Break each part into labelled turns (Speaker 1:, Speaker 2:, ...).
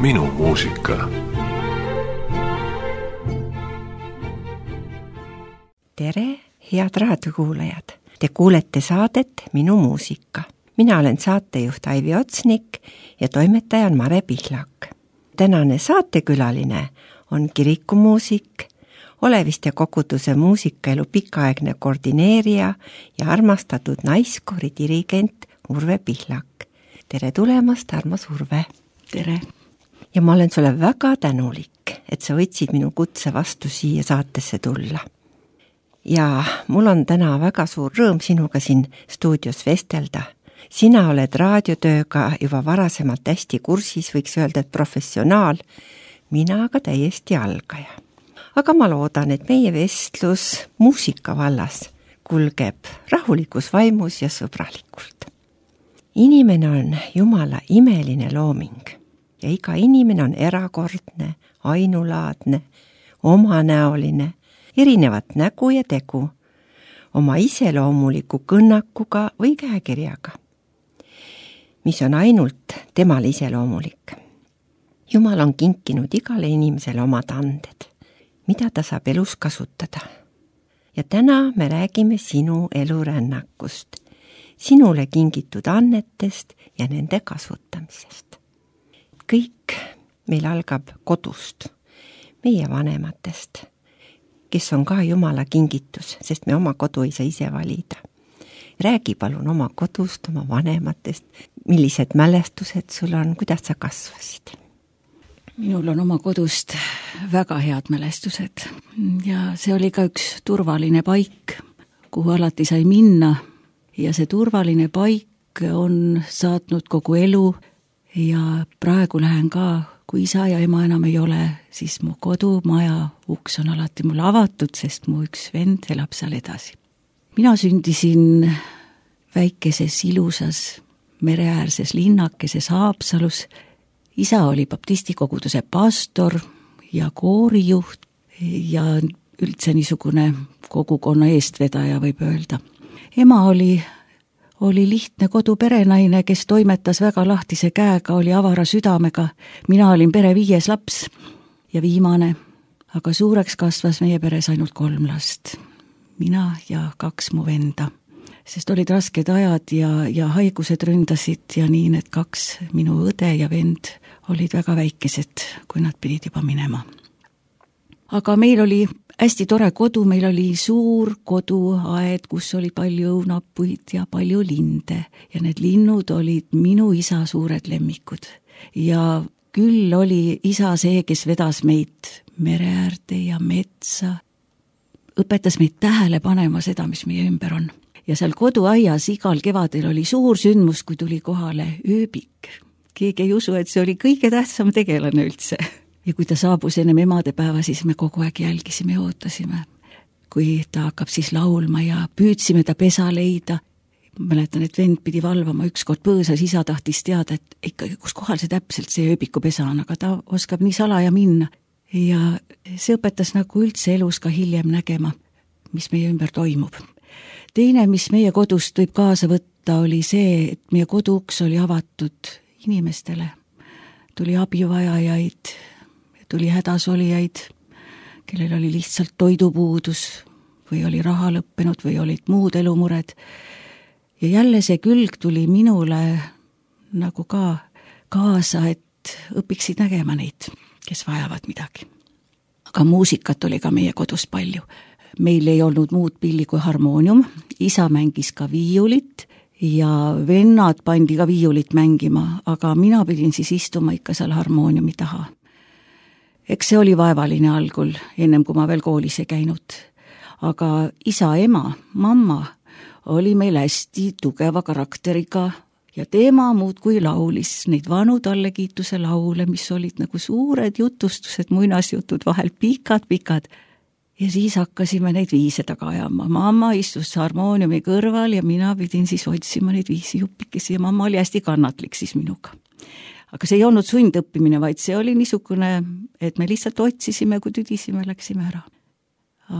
Speaker 1: Minu muusika.
Speaker 2: Tere, head raadiokuulajad! Te kuulete saadet Minu muusika. Mina olen saatejuht Aivi Otsnik ja toimetaja on Mare Pihlak. Tänane saatekülaline on kirikumuusik, Oleviste koguduse muusikaelu pikaaegne koordineerija ja armastatud naiskoori dirigent Urve Pihlak. Tere tulemast, armas Urve!
Speaker 3: Tere!
Speaker 2: Ja ma olen sulle väga tänulik, et sa võtsid minu kutse vastu siia saatesse tulla. Ja mul on täna väga suur rõõm sinuga siin stuudios vestelda. Sina oled raadiotööga juba varasemalt hästi kursis, võiks öelda, et professionaal, mina aga täiesti algaja. Aga ma loodan, et meie vestlus muusika vallas kulgeb rahulikus vaimus ja sõbralikult. Inimene on Jumala imeline looming ja iga inimene on erakordne, ainulaadne, omanäoline, erinevat nägu ja tegu, oma iseloomuliku kõnnakuga või käekirjaga, mis on ainult temale iseloomulik. Jumal on kinkinud igale inimesele omad anded, mida ta saab elus kasutada. Ja täna me räägime sinu elurännakust, sinule kingitud annetest ja nende kasutamisest. Kõik meil algab kodust, meie vanematest, kes on ka Jumala kingitus, sest me oma kodu ei saa ise valida. Räägi palun oma kodust, oma vanematest, millised mälestused sul on, kuidas sa kasvasid?
Speaker 3: Minul on oma kodust väga head mälestused ja see oli ka üks turvaline paik, kuhu alati sai minna ja see turvaline paik on saatnud kogu elu ja praegu lähen ka, kui isa ja ema enam ei ole, siis mu kodumaja uks on alati mulle avatud, sest mu üks vend elab seal edasi. Mina sündisin väikeses ilusas mereäärses linnakeses Haapsalus. Isa oli baptisti koguduse pastor ja koorijuht ja üldse niisugune kogukonna eestvedaja võib öelda. Ema oli lihtne koduperenaine, kes toimetas väga lahtise käega, oli avara südamega. Mina olin pere 5. laps ja viimane, aga suureks kasvas meie peres ainult 3 last. Mina ja 2 mu venda. Sest olid rasked ajad ja haigused ründasid ja nii need 2, minu õde ja vend, olid väga väikesed, kui nad pidid juba minema. Aga meil oli hästi tore kodu, meil oli suur koduaed, kus oli palju õunapuid ja palju linde ja need linnud olid minu isa suured lemmikud. Ja küll oli isa see, kes vedas meid mereäärde ja metsa, õpetas meid tähele panema seda, mis meie ümber on. Ja seal koduaias igal kevadel oli suur sündmus, kui tuli kohale ööbik. Keegi ei usu, et see oli kõige tähtsam tegelane üldse. Ja kui ta saabus ennem emadepäeva, siis me kogu aeg jälgisime ja ootasime. Kui ta hakkab siis laulma ja püüdsime ta pesa leida. Mäletan, et vend pidi valvama ükskord põõsas, isa tahtis teada, et ikkagi kus kohal see täpselt see ööbiku pesa on, aga ta oskab nii salaja minna. Ja see õpetas nagu üldse elus ka hiljem nägema, mis meie ümber toimub. Teine, mis meie kodust võib kaasa võtta, oli see, et meie koduuks oli avatud inimestele. Tuli abivajajaid, tuli hädasolijaid, kellel oli lihtsalt toidupuudus või oli raha lõppenud või olid muud elumured. Ja jälle see külg tuli minule nagu ka kaasa, et õpiksid nägema neid, kes vajavad midagi. Aga muusikat oli ka meie kodus palju. Meil ei olnud muud pilli kui harmoonium, isa mängis ka viiulit ja vennad pandi ka viiulit mängima, aga mina pidin siis istuma ikka seal harmooniumi taha. Eks see oli vaevaline algul, ennem kui ma veel koolis ei käinud. Aga isa, ema, mamma oli meil hästi tugeva karakteriga ja teema muud kui laulis neid vanu tallekiituse laule, mis olid nagu suured jutustused, muinasjutud vahel pikad. Ja siis hakkasime neid viise taga ajama. Mamma istus harmooniumi kõrval ja mina pidin siis otsima neid viisi juppikesi ja mamma oli hästi kannatlik siis minuga. Aga see ei olnud sundõppimine, vaid see oli niisugune, et me lihtsalt otsisime, kui tüdisime, läksime ära.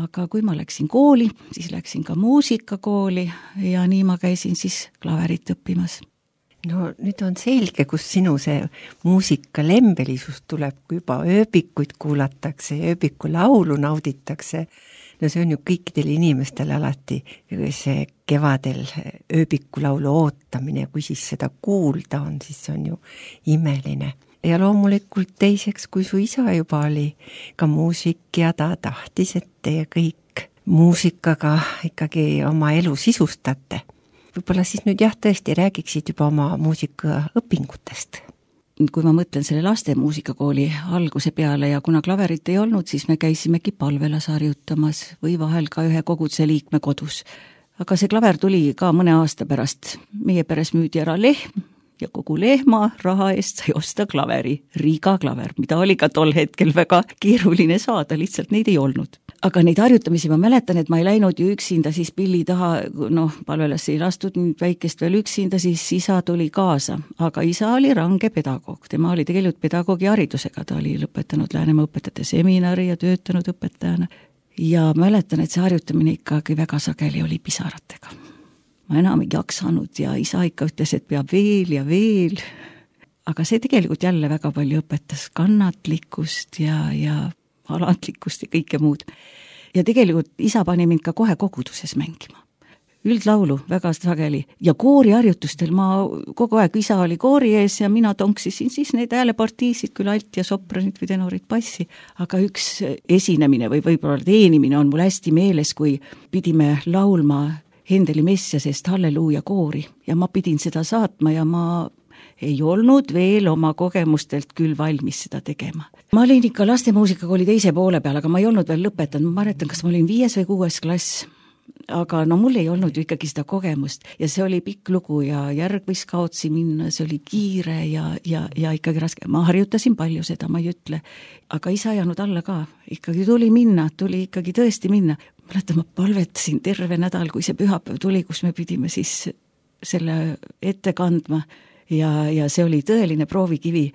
Speaker 3: Aga kui ma läksin kooli, siis läksin ka muusikakooli ja nii ma käisin siis klaverit õppimas.
Speaker 2: No nüüd on selge, kus sinu see muusika lembelisus tuleb, kui juba ööbikuid kuulatakse ja ööbiku laulu nauditakse. No see on ju kõikidel inimestel alati see kevadel ööbiku laulu ootamine ja kui siis seda kuulda on, siis see on ju imeline. Ja loomulikult teiseks, kui su isa juba oli ka muusik ja ta tahtis, et teie kõik muusikaga ikkagi oma elu sisustate. Võib-olla siis nüüd tõesti räägiksid juba oma muusikaõpingutest.
Speaker 3: Kui ma mõtlen selle laste muusikakooli alguse peale ja kuna klaverit ei olnud, siis me käisimegi palvelas harjutamas või vahel ka ühe koguduse liikme kodus. Aga see klaver tuli ka mõne aasta pärast. Meie peres müüdi ära lehm ja kogu lehma raha eest sai osta klaveri, Riiga klaver, mida oli ka tol hetkel väga keeruline saada, lihtsalt neid ei olnud. Aga neid harjutamisi ma mäletan, et ma ei läinud ju üksinda siis pilli taha, palvelasse ei lastud väikest veel üksinda, siis isa tuli kaasa. Aga isa oli range pedagoog, tema oli tegelikult pedagoogi haridusega, ta oli lõpetanud Läänemaa õpetajate seminari ja töötanud õpetajana. Ja mäletan, et see harjutamine ikkagi väga sageli oli pisaratega. Ma enam ei jaksanud ja isa ikka ütles, et peab veel ja veel. Aga see tegelikult jälle väga palju õpetas kannatlikkust ja alandlikkust ja kõike muud. Ja tegelikult isa pani mind ka kohe koguduses mängima. Üldlaulu väga sageli ja kooriharjutustel ma kogu aeg, isa oli koori ees ja mina tonksisin siis neid häälepartiisid, küll alt ja sopranid või tenorid bassi, aga üks esinemine või võib-olla teenimine on mul hästi meeles, kui pidime laulma Hendeli Messiasest Halleluuja koori ja ma pidin seda saatma ja ma ei olnud veel oma kogemustelt küll valmis seda tegema. Ma olin ikka lastemuusikakooli teise poole peal, aga ma ei olnud veel lõpetanud, ma mäletan, kas ma olin 5. või 6. klass, aga mul ei olnud ju ikkagi seda kogemust ja see oli pikk lugu ja järg võis kaotsi minna, see oli kiire ja ikkagi raske. Ma harjutasin palju seda, ma ei ütle, aga isa ei jäänud alla ka, ikkagi tuli ikkagi tõesti minna. Mäletan, ma palvetasin terve nädal, kui see pühapäev tuli, kus me pidime siis selle ette kandma ja see oli tõeline proovikivi.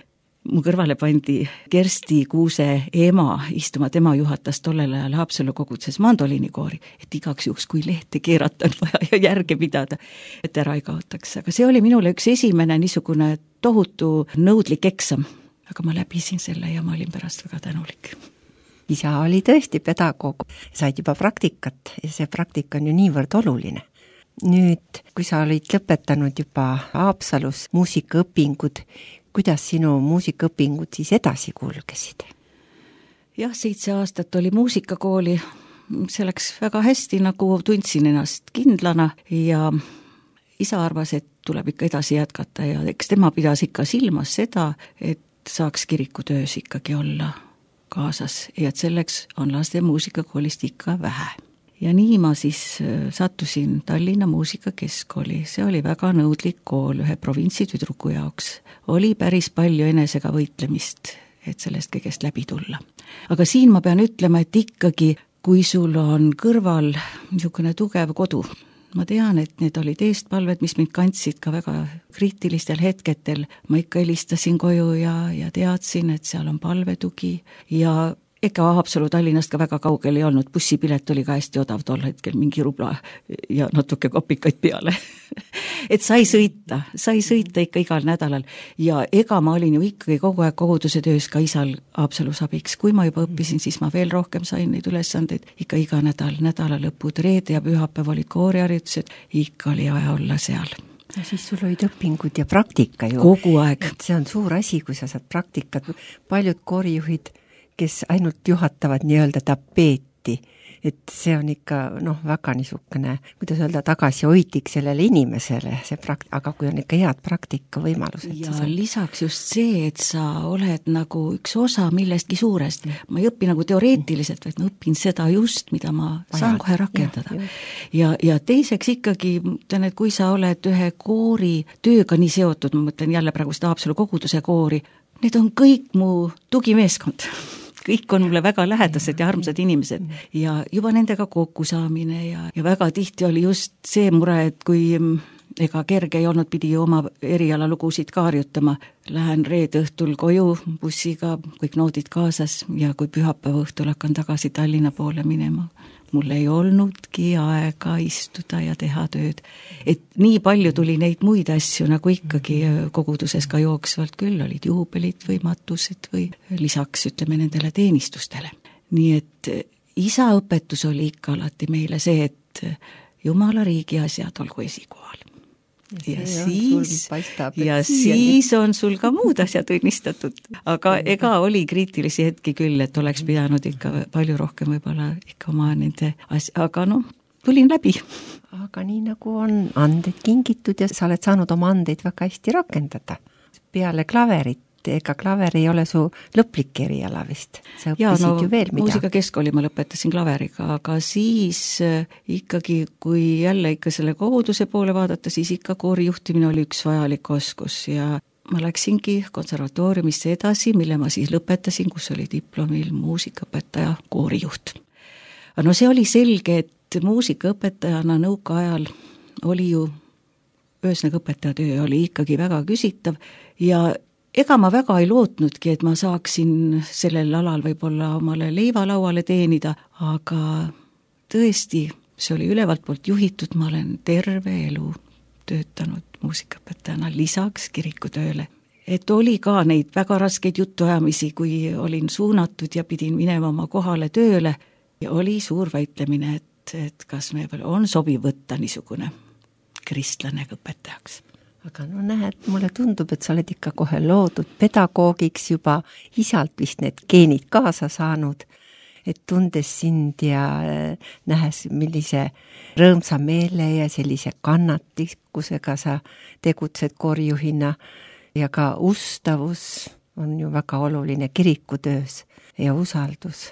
Speaker 3: Mu kõrvale pandi Kersti Kuuse ema istuma, tema juhatas tollel ajal Haapsalu koguduses mandoliinikoori, et igaks juhuks, kui lehte keerata on vaja ja järge pidada, et ära ei kaotaks. Aga see oli minule üks esimene niisugune tohutu nõudlik eksam, aga ma läbisin selle ja ma olin pärast väga tänulik.
Speaker 2: Isa oli tõesti pedagoog, said juba praktikat ja see praktika on ju niivõrd oluline. Nüüd, kui sa olid lõpetanud juba Haapsalus muusikaõpingud, kuidas sinu muusikaõpingud siis edasi kulgesid?
Speaker 3: Jah, 7 aastat oli muusikakooli, see läks väga hästi, nagu tundsin ennast kindlana ja isa arvas, et tuleb ikka edasi jätkata ja eks tema pidas ikka silmas seda, et saaks kirikutöös ikkagi olla kaasas ja et selleks on laste muusikakoolist ikka vähe. Ja nii ma siis sattusin Tallinna muusikakeskkooli, see oli väga nõudlik kool ühe provintsitüdruku jaoks. Oli päris palju enesega võitlemist, et sellest kõigest läbi tulla. Aga siin ma pean ütlema, et ikkagi, kui sul on kõrval niisugune tugev kodu, ma tean, et need olid eestpalved, mis mind kandsid ka väga kriitilistel hetketel, ma ikka helistasin koju ja teadsin, et seal on palvetugi ja ega Haapsalu Tallinnast ka väga kaugel ei olnud, bussipilet oli ka hästi odav tol hetkel, mingi rubla ja natuke kopikaid peale. Et sai sõita ikka igal nädalal ja ega ma olin ju ikkagi kogu aeg koguduse töös ka isal Haapsalus abiks. Kui ma juba õppisin, siis ma veel rohkem sain neid ülesandeid, ikka iga nädalalõpud, reede ja pühapäev olid kooriharjutused, ikka oli vaja olla seal.
Speaker 2: Ja siis sul olid õpingud ja praktika ju.
Speaker 3: Kogu aeg.
Speaker 2: Et see on suur asi, kui sa saad praktikat. Paljud koorijuhid, kes ainult juhatavad nii-öelda tapeeti, et see on ikka väga niisugune, kuidas öelda, tagasihoidlik sellele inimesele, aga kui on ikka head praktika võimalused.
Speaker 3: Ja lisaks just see, et sa oled nagu üks osa millestki suurest. Ma ei õpi nagu teoreetiliselt, vaid ma õpin seda just, mida ma saan kohe rakendada. Ja teiseks ikkagi, et kui sa oled ühe koori tööga nii seotud, ma mõtlen jälle praegu seda Haapsalu koguduse koori, need on kõik mu tugimeeskond. Kõik on mulle väga lähedased ja armsad inimesed ja juba nendega kokku saamine ja väga tihti oli just see mure, et kui ega kerge ei olnud, pidi oma erialalugusid ka harjutama. Lähen reede õhtul koju bussiga, kõik noodid kaasas ja kui pühapäeva õhtul hakkan tagasi Tallinna poole minema. mul ei olnudki aega istuda ja teha tööd. Et nii palju tuli neid muid asju, nagu ikkagi koguduses ka jooksvalt küll, olid juubelid või matused või lisaks ütleme nendele teenistustele. Nii et isa õpetus oli ikka alati meile see, et Jumala riigi asjad olgu esikohal. Ja siis on sul ka muud asjad õnnistatud. Aga ega oli kriitilisi hetki küll, et oleks pidanud ikka palju rohkem võib-olla ikka oma nende asja, aga tulin läbi.
Speaker 2: Aga nii nagu on andeid kingitud ja sa oled saanud oma andeid väga hästi rakendada. Peale klaverit, ega klaver ei ole su lõplik eriala vist. Sa õppisid ju veel mida.
Speaker 3: Muusikakeskkooli ma lõpetasin klaveriga, aga siis ikkagi, kui jälle ikka selle koguduse poole vaadata, siis ikka koorijuhtimine oli üks vajalik oskus ja ma läksingi konservatooriumisse edasi, mille ma siis lõpetasin, kus oli diplomil muusikaõpetaja koorijuht. No see oli selge, et muusikaõpetajana nõukaajal oli ju ühesõnaga õpetajatöö oli ikkagi väga küsitav ja ega ma väga ei lootnudki, et ma saaksin sellel alal võib-olla omale leivalauale teenida, aga tõesti, see oli ülevalt poolt juhitud, ma olen terve elu töötanud muusikaõpetajana lisaks kirikutööle. Et oli ka neid väga raskeid jutuajamisi, kui olin suunatud ja pidin minema oma kohale tööle ja oli suur väitlemine, et kas me on sobiv võtta niisugune kristlane õpetajaks.
Speaker 2: Aga näed, mulle tundub, et sa oled ikka kohe loodud pedagoogiks juba isalt vist need geenid kaasa saanud, et tundes sind ja nähes, millise rõõmsa meele ja sellise kannatlikkusega sa tegutsed koorijuhina ja ka ustavus on ju väga oluline kirikutöös ja usaldus.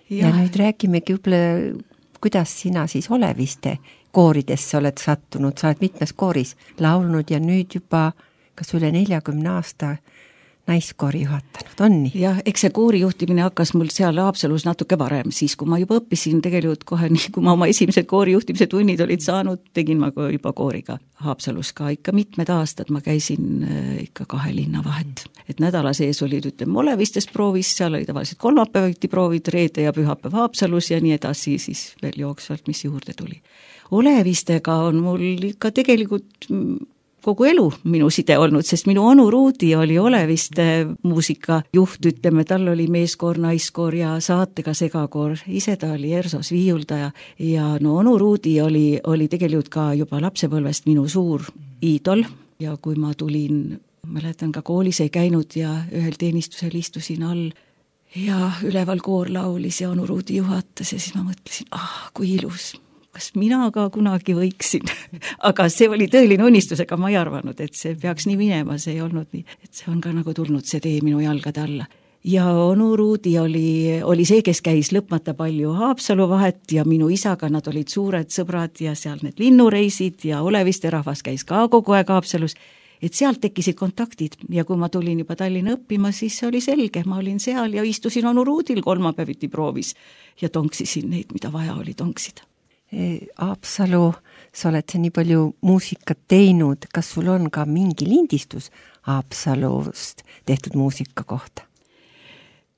Speaker 2: Ja nüüd räägimegi võib-olla, kuidas sina siis Oleviste kooridesse oled sattunud, sa oled mitmes kooris laulnud ja nüüd juba kas üle 40 aasta naiskoori juhatanud, on nii?
Speaker 3: Jah, eks see koorijuhtimine hakkas mul seal Haapsalus natuke varem, siis kui ma juba õppisin tegelikult kohe nii, kui ma oma esimesed koorijuhtimise tunnid olid saanud, tegin ma juba kooriga Haapsalus ka ikka mitmed aastad, ma käisin ikka 2 linna vahet. Et nädala sees olid, ütleme, Olevistes proovis, seal oli tavaliselt kolmapäeviti proovid, reede ja pühapäev Haapsalus ja nii edasi, siis veel jooksvalt, mis juurde tuli. Olevistega on mul ikka tegelikult kogu elu minu side olnud, sest minu onu Ruudi oli Oleviste muusikajuht, ütleme, tal oli meeskoor, naiskoor ja saatega segakoor, ise ta oli Ersos viiuldaja ja onu Ruudi oli tegelikult ka juba lapsepõlvest minu suur iidol ja kui ma tulin, mäletan ka koolis ei käinud ja ühel teenistusel istusin all ja üleval koor laulis ja onu Ruudi juhatas ja siis ma mõtlesin, kui ilus. Kas mina ka kunagi võiksin, aga see oli tõeline unistus, ega ma ei arvanud, et see peaks nii minema, see ei olnud nii, et see on ka nagu tulnud see tee minu jalgade alla. Ja onu Ruudi oli see, kes käis lõpmata palju Haapsalu vahet ja minu isaga nad olid suured sõbrad ja seal need linnureisid ja Oleviste rahvas käis ka kogu aeg Haapsalus, et sealt tekkisid kontaktid ja kui ma tulin juba Tallinna õppima, siis oli selge, ma olin seal ja istusin onu Ruudil kolmapäeviti proovis ja tonksisin neid, mida vaja oli tonksida.
Speaker 2: Haapsalu, sa oled see nii palju muusikat teinud, kas sul on ka mingi lindistus Haapsalust tehtud muusika kohta?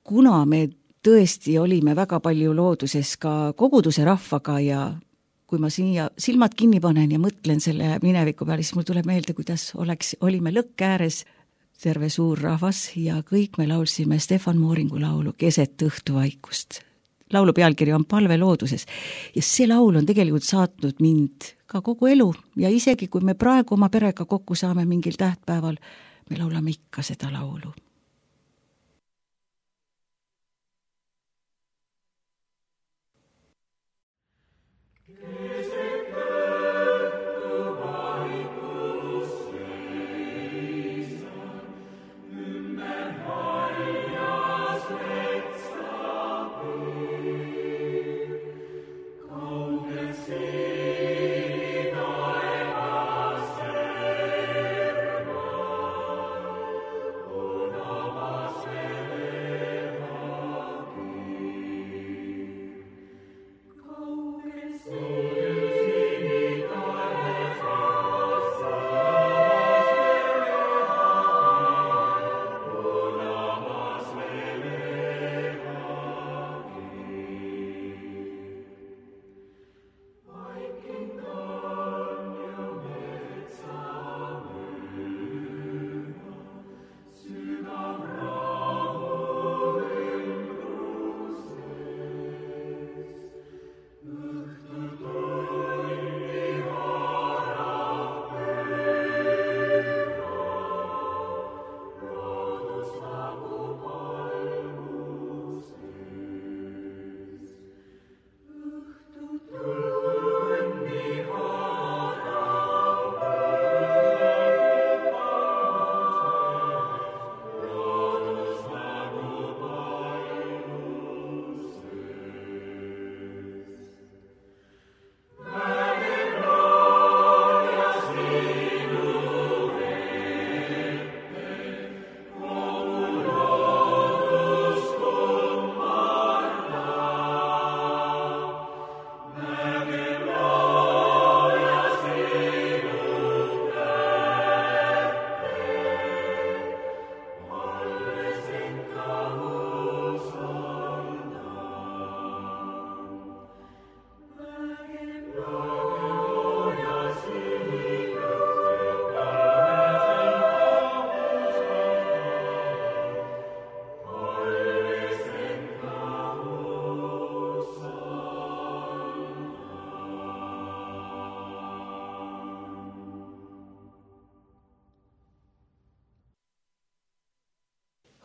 Speaker 3: Kuna me tõesti olime väga palju looduses ka koguduse rahvaga ja kui ma siia silmad kinni panen ja mõtlen selle mineviku peale, siis mul tuleb meelde, kuidas olime lõkke ääres terve suur rahvas ja kõik me laulsime Stefan Mooringu laulu Keset õhtuvaikust. Laulu pealkiri on Palve looduses ja see laul on tegelikult saatnud mind ka kogu elu ja isegi kui me praegu oma perega kokku saame mingil tähtpäeval, me laulame ikka seda laulu.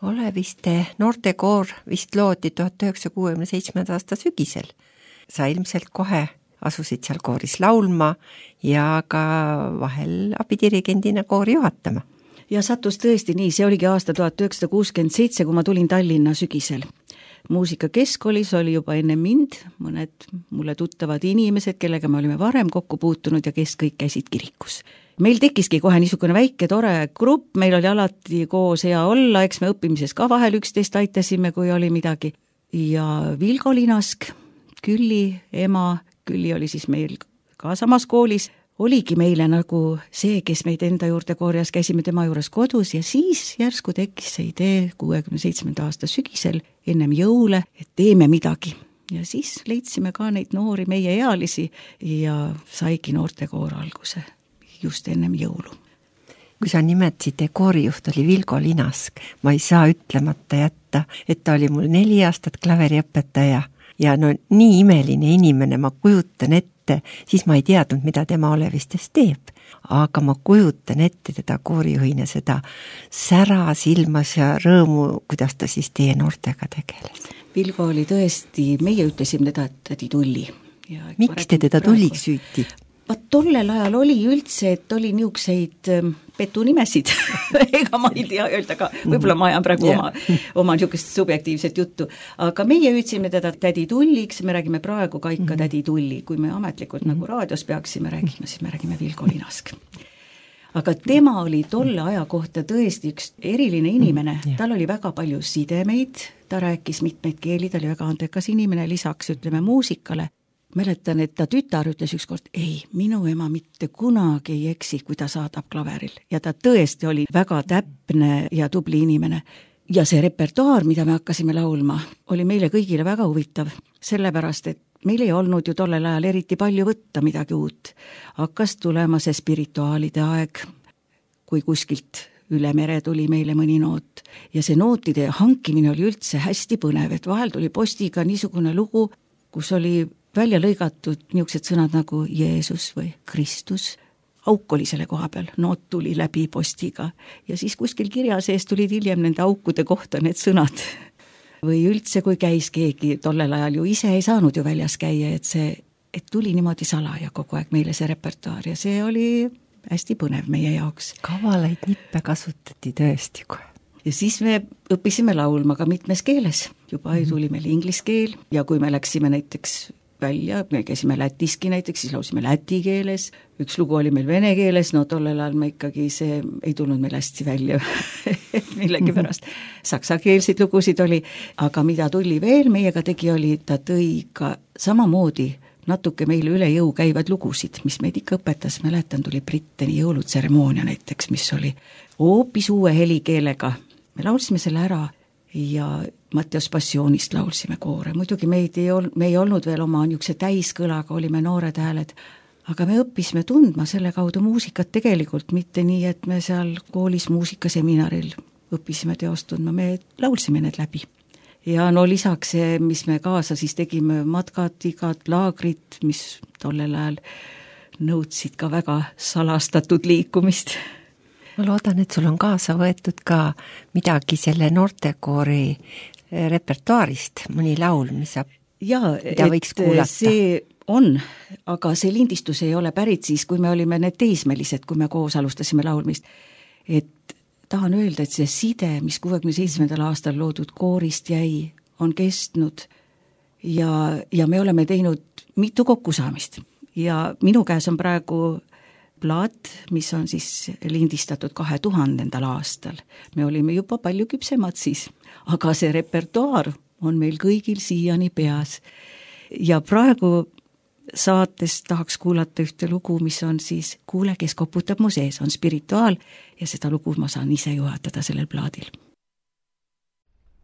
Speaker 2: Oleviste noortekoor vist loodi 1967. aasta sügisel. Sa ilmselt kohe asusid seal kooris laulma ja ka vahel abidirigendina koori juhatama.
Speaker 3: Ja sattus tõesti nii, see oligi aasta 1967, kui ma tulin Tallinna sügisel. Muusikakeskkoolis oli juba enne mind mõned mulle tuttavad inimesed, kellega me olime varem kokku puutunud ja kes kõik käisid kirikus. Meil tekkiski kohe niisugune väike tore grupp, meil oli alati koos hea olla, eks me õppimises ka vahel 11 aitasime, kui oli midagi. Ja Vilgo Linask, Külli ema, Külli oli siis meil ka samas koolis, oligi meile nagu see, kes meid enda juurde korjas, käisime tema juures kodus ja siis järsku tekkis see idee 67. aasta sügisel ennem jõule, et teeme midagi. Ja siis leidsime ka neid noori meie ealisi ja saigi noortekoor alguse just ennem jõulu.
Speaker 2: Kui sa nimetasid, koorijuht oli Vilgo Linask, ma ei saa ütlemata jätta, et ta oli mul 4 aastat klaveriõpetaja ja no nii imeline inimene, ma kujutan ette, siis ma ei teadnud, mida tema Olevistes teeb, aga ma kujutan ette teda koorijuhina seda sära silmas ja rõõmu, kuidas ta siis teie noortega tegeles.
Speaker 3: Vilgo oli tõesti, meie ütlesime teda, et tädi Tulli.
Speaker 2: Miks te teda Tulliks süüti?
Speaker 3: Tollel ajal oli üldse, et oli niukseid petunimesid, ega ma ei tea öelda ka, võib-olla ma ajan praegu oma niisugust subjektiivset juttu, aga meie hüüdsime teda tädi Tulliks, me räägime praegu ka ikka tädi Tulli, kui me ametlikult nagu raadios peaksime räägima, siis me räägime Vilgo Linask. Aga tema oli tolle aja kohta tõesti üks eriline inimene, tal oli väga palju sidemeid, ta rääkis mitmeid keeli, ta oli väga andekas inimene, lisaks ütleme muusikale. Mäletan, et ta tütar ütles ükskord, ei, minu ema mitte kunagi ei eksi, kui ta saadab klaveril. Ja ta tõesti oli väga täpne ja tubli inimene. Ja see repertuaar, mida me hakkasime laulma, oli meile kõigile väga huvitav, sellepärast, et meil ei olnud ju tollel ajal eriti palju võtta midagi uut. Hakkas tulema see spirituaalide aeg, kui kuskilt üle mere tuli meile mõni noot. Ja see nootide hankimine oli üldse hästi põnev, et vahel tuli postiga niisugune lugu, kus oli välja lõigatud niisugused sõnad nagu Jeesus või Kristus. Auk oli selle koha peal, noot tuli läbi postiga ja siis kuskil kirja sees tulid hiljem nende aukude kohta need sõnad. Või üldse, kui käis keegi, tollel ajal ju ise ei saanud ju väljas käia, et tuli niimoodi salaja kogu aeg meile see repertuaar ja see oli hästi põnev meie jaoks.
Speaker 2: Kavalaid nippe kasutati tõesti kohe.
Speaker 3: Ja siis me õppisime laulma ka mitmes keeles. Juba tuli meil inglise keel ja kui me läksime näiteks välja, me käisime Lätiski näiteks, siis laulsime läti keeles, üks lugu oli meil vene keeles, no tollel ajal me ikkagi see ei tulnud meil hästi välja millegi pärast. Saksakeelseid lugusid oli, aga mida tuli veel meiega tegi, oli, ta tõi ka samamoodi natuke meile üle jõu käivad lugusid, mis meid ikka õpetas, mäletan, tuli Britteni jõulutseremoonia näiteks, mis oli hoopis uue helikeelega. Me laulsime selle ära ja Matteos Passioonist laulsime koore. Muidugi me ei olnud veel oma niisuguse täiskõlaga, olime noored hääled, aga me õppisime tundma selle kaudu muusikat tegelikult, mitte nii, et me seal koolis muusikaseminaril õppisime teost tundma, me laulsime need läbi. Ja no lisaks see, mis me kaasa siis tegime, matkad, igad laagrid, mis tollel ajal nõudsid ka väga salastatud liikumist.
Speaker 2: Ma loodan, et sul on kaasa võetud ka midagi selle noortekoori repertuaarist, mõni laul, mida võiks kuulata.
Speaker 3: See on, aga see lindistus ei ole pärit siis, kui me olime need teismelised, kui me koos alustasime laulmist. Et tahan öelda, et see side, mis 67. aastal loodud koorist jäi, on kestnud ja me oleme teinud mitu kokkusaamist. Ja minu käes on praegu plaat, mis on siis lindistatud 2000. aastal. Me olime juba palju küpsemad siis, aga see repertuaar on meil kõigil siiani peas. Ja praegu saates tahaks kuulata ühte lugu, mis on siis Kuule, kes koputab mu sees, on spirituaal ja seda lugu ma saan ise juhatada sellel plaadil.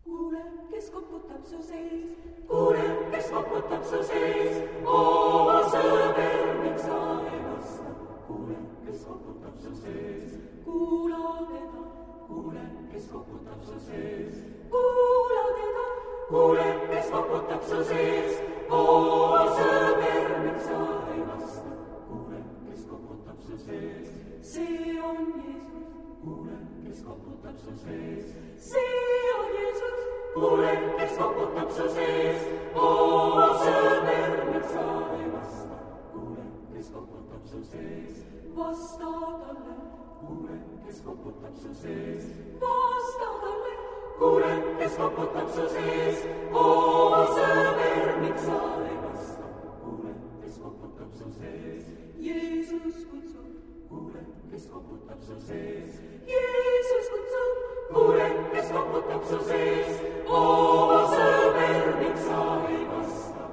Speaker 3: Kuule, kes koputab su sees, kuule, kes koputab su sees, oo sõber, miks sa ei vasta. Kuule, kes koputab su sees, kuula teda, kuule, kes koputab su sees, kuula teda, kuule, kes koputab su sees, oo sõber, miks sa ei vasta. Kuule, kes koputab su sees, see on Jeesus.
Speaker 1: kuule, kes koputab su sees. See on Jeesus, kuule, kes koputab su sees. Oo, sõber, miks sa ei vasta? Kuule, kes koputab su sees. Vasta talle, kuule, kes koputab su sees. Vasta talle, kuule, kes koputab su sees. Oo, sõber, miks sa ei vasta? Kuule, kes koputab su sees. Jeesus kutsub, kuule, kes koputab su sees. Jeesus kutsub, kuule, kes koputab su sees. Oo, sõber, miks sa ei vasta?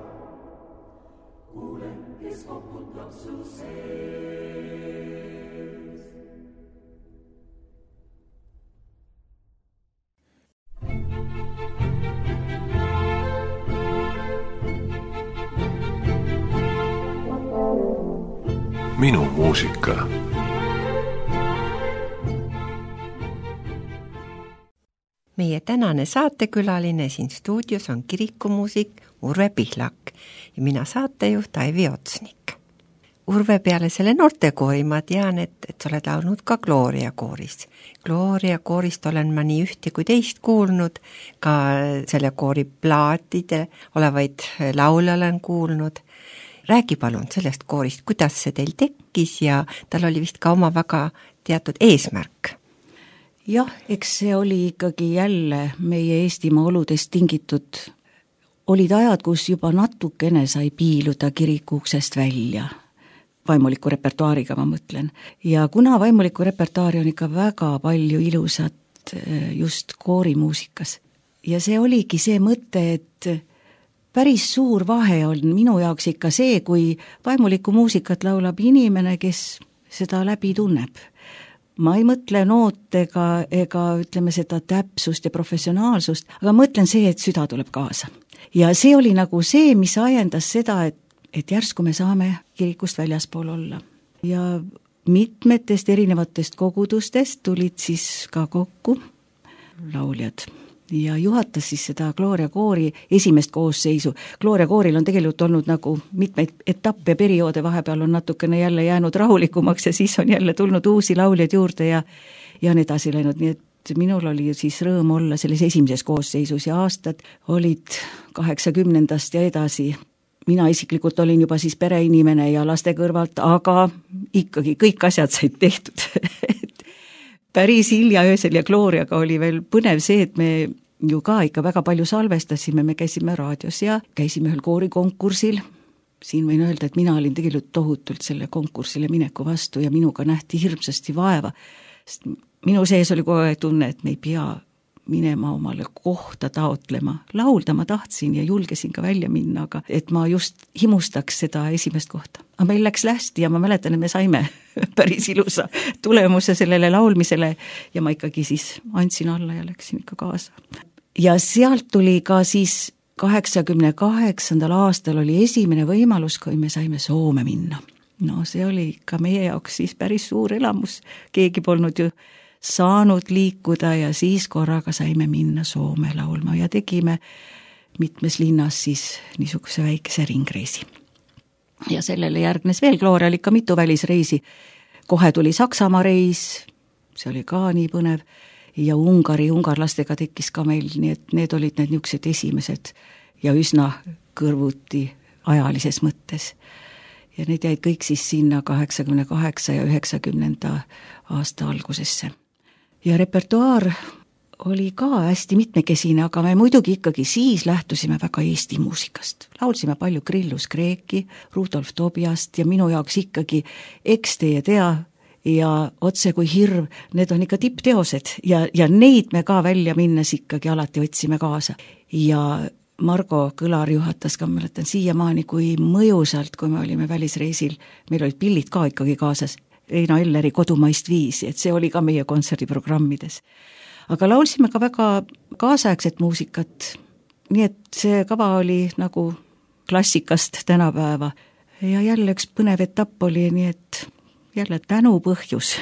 Speaker 1: Kuule, kes koputab su sees.
Speaker 4: Minu muusika.
Speaker 2: Meie tänane saatekülaline siin stuudios on kirikumuusik Urve Pihlak ja mina saatejuht Aivi Otsnik. Urve, peale selle noortekoori ma tean, et sa oled laulnud ka Gloria kooris. Gloria koorist olen ma nii ühte kui teist kuulnud, ka selle koori plaatide olevaid laule olen kuulnud. Räägi palun sellest koorist, kuidas see teil tekkis ja tal oli vist ka oma väga teatud eesmärk.
Speaker 3: Jah, eks see oli ikkagi jälle meie Eestimaa oludest tingitud. Olid ajad, kus juba natukene sai piiluda kirikuuksest välja. Vaimuliku repertuaariga ma mõtlen. Ja kuna vaimuliku repertuaari on ikka väga palju ilusat just koorimuusikas. Ja see oligi see mõte, et päris suur vahe on minu jaoks ikka see, kui vaimulikku muusikat laulab inimene, kes seda läbi tunneb. Ma ei mõtle nootega ega ütleme seda täpsust ja professionaalsust, aga mõtlen see, et süda tuleb kaasa. Ja see oli nagu see, mis ajendas seda, et järsku me saame kirikust väljaspool olla. Ja mitmetest erinevatest kogudustest tulid siis ka kokku lauljad. Ja juhatas siis seda Gloria koori esimest koosseisu. Gloria kooril on tegelikult olnud nagu mitmeid etappe, perioode, vahepeal on natukene jälle jäänud rahulikumaks ja siis on jälle tulnud uusi lauljaid juurde ja on edasi läinud. Nii et minul oli siis rõõm olla selles esimeses koosseisus ja aastad olid 80. ja edasi. Mina isiklikult olin juba siis pereinimene ja laste kõrvalt, aga ikkagi kõik asjad said tehtud. Päris hilja öösel ja Gloriaga oli veel põnev see, et me ju ka ikka väga palju salvestasime, me käisime raadios ja käisime ühel koorikonkursil. Siin võin öelda, et mina olin tegelikult tohutult selle konkursile mineku vastu ja minuga nähti hirmsasti vaeva. Sest minu sees oli kogu aeg tunne, et me ei pea minema omale kohta taotlema. Laulda ma tahtsin ja julgesin ka välja minna, aga et ma just himustaks seda esimest kohta. Aga meil läks hästi ja ma mäletan, et me saime päris ilusa tulemuse sellele laulmisele ja ma ikkagi siis andsin alla ja läksin ikka kaasa. Ja sealt tuli ka siis 88. aastal oli esimene võimalus, kui me saime Soome minna. No see oli ka meie jaoks siis päris suur elamus. Keegi polnud ju saanud liikuda ja siis korraga saime minna Soome laulma ja tegime mitmes linnas siis niisuguse väikese ringreisi. Ja sellele järgnes veel, Gloria oli ka mitu välisreisi. Kohe tuli Saksamaa reis, see oli ka nii põnev, ja ungarlastega tekkis ka meil, nii et need olid need niisugused esimesed ja üsna kõrvuti ajalises mõttes. Ja need jäid kõik siis sinna 88 ja 90. aasta algusesse. Ja repertuaar oli ka hästi mitmekesine, aga me muidugi ikkagi siis lähtusime väga Eesti muusikast. Laulsime palju Grillus Kreeki, Rudolf Tobiast ja minu jaoks ikkagi Eks teie tea ja Otse kui hirv, need on ikka tippteosed ja neid me ka välja minnes ikkagi alati võtsime kaasa. Ja Margo Kõlar juhatas ka, mäletan siiamaani, kui mõjusalt, kui me olime välisreisil, meil olid pillid ka ikkagi kaasas, Eina Elleri Kodumaist viisi, et see oli ka meie kontserdiprogrammides. Aga laulsime ka väga kaasaegset muusikat, nii et see kava oli nagu klassikast tänapäeva. Ja jälle üks põnev etapp oli, nii et jälle tänupõhjus.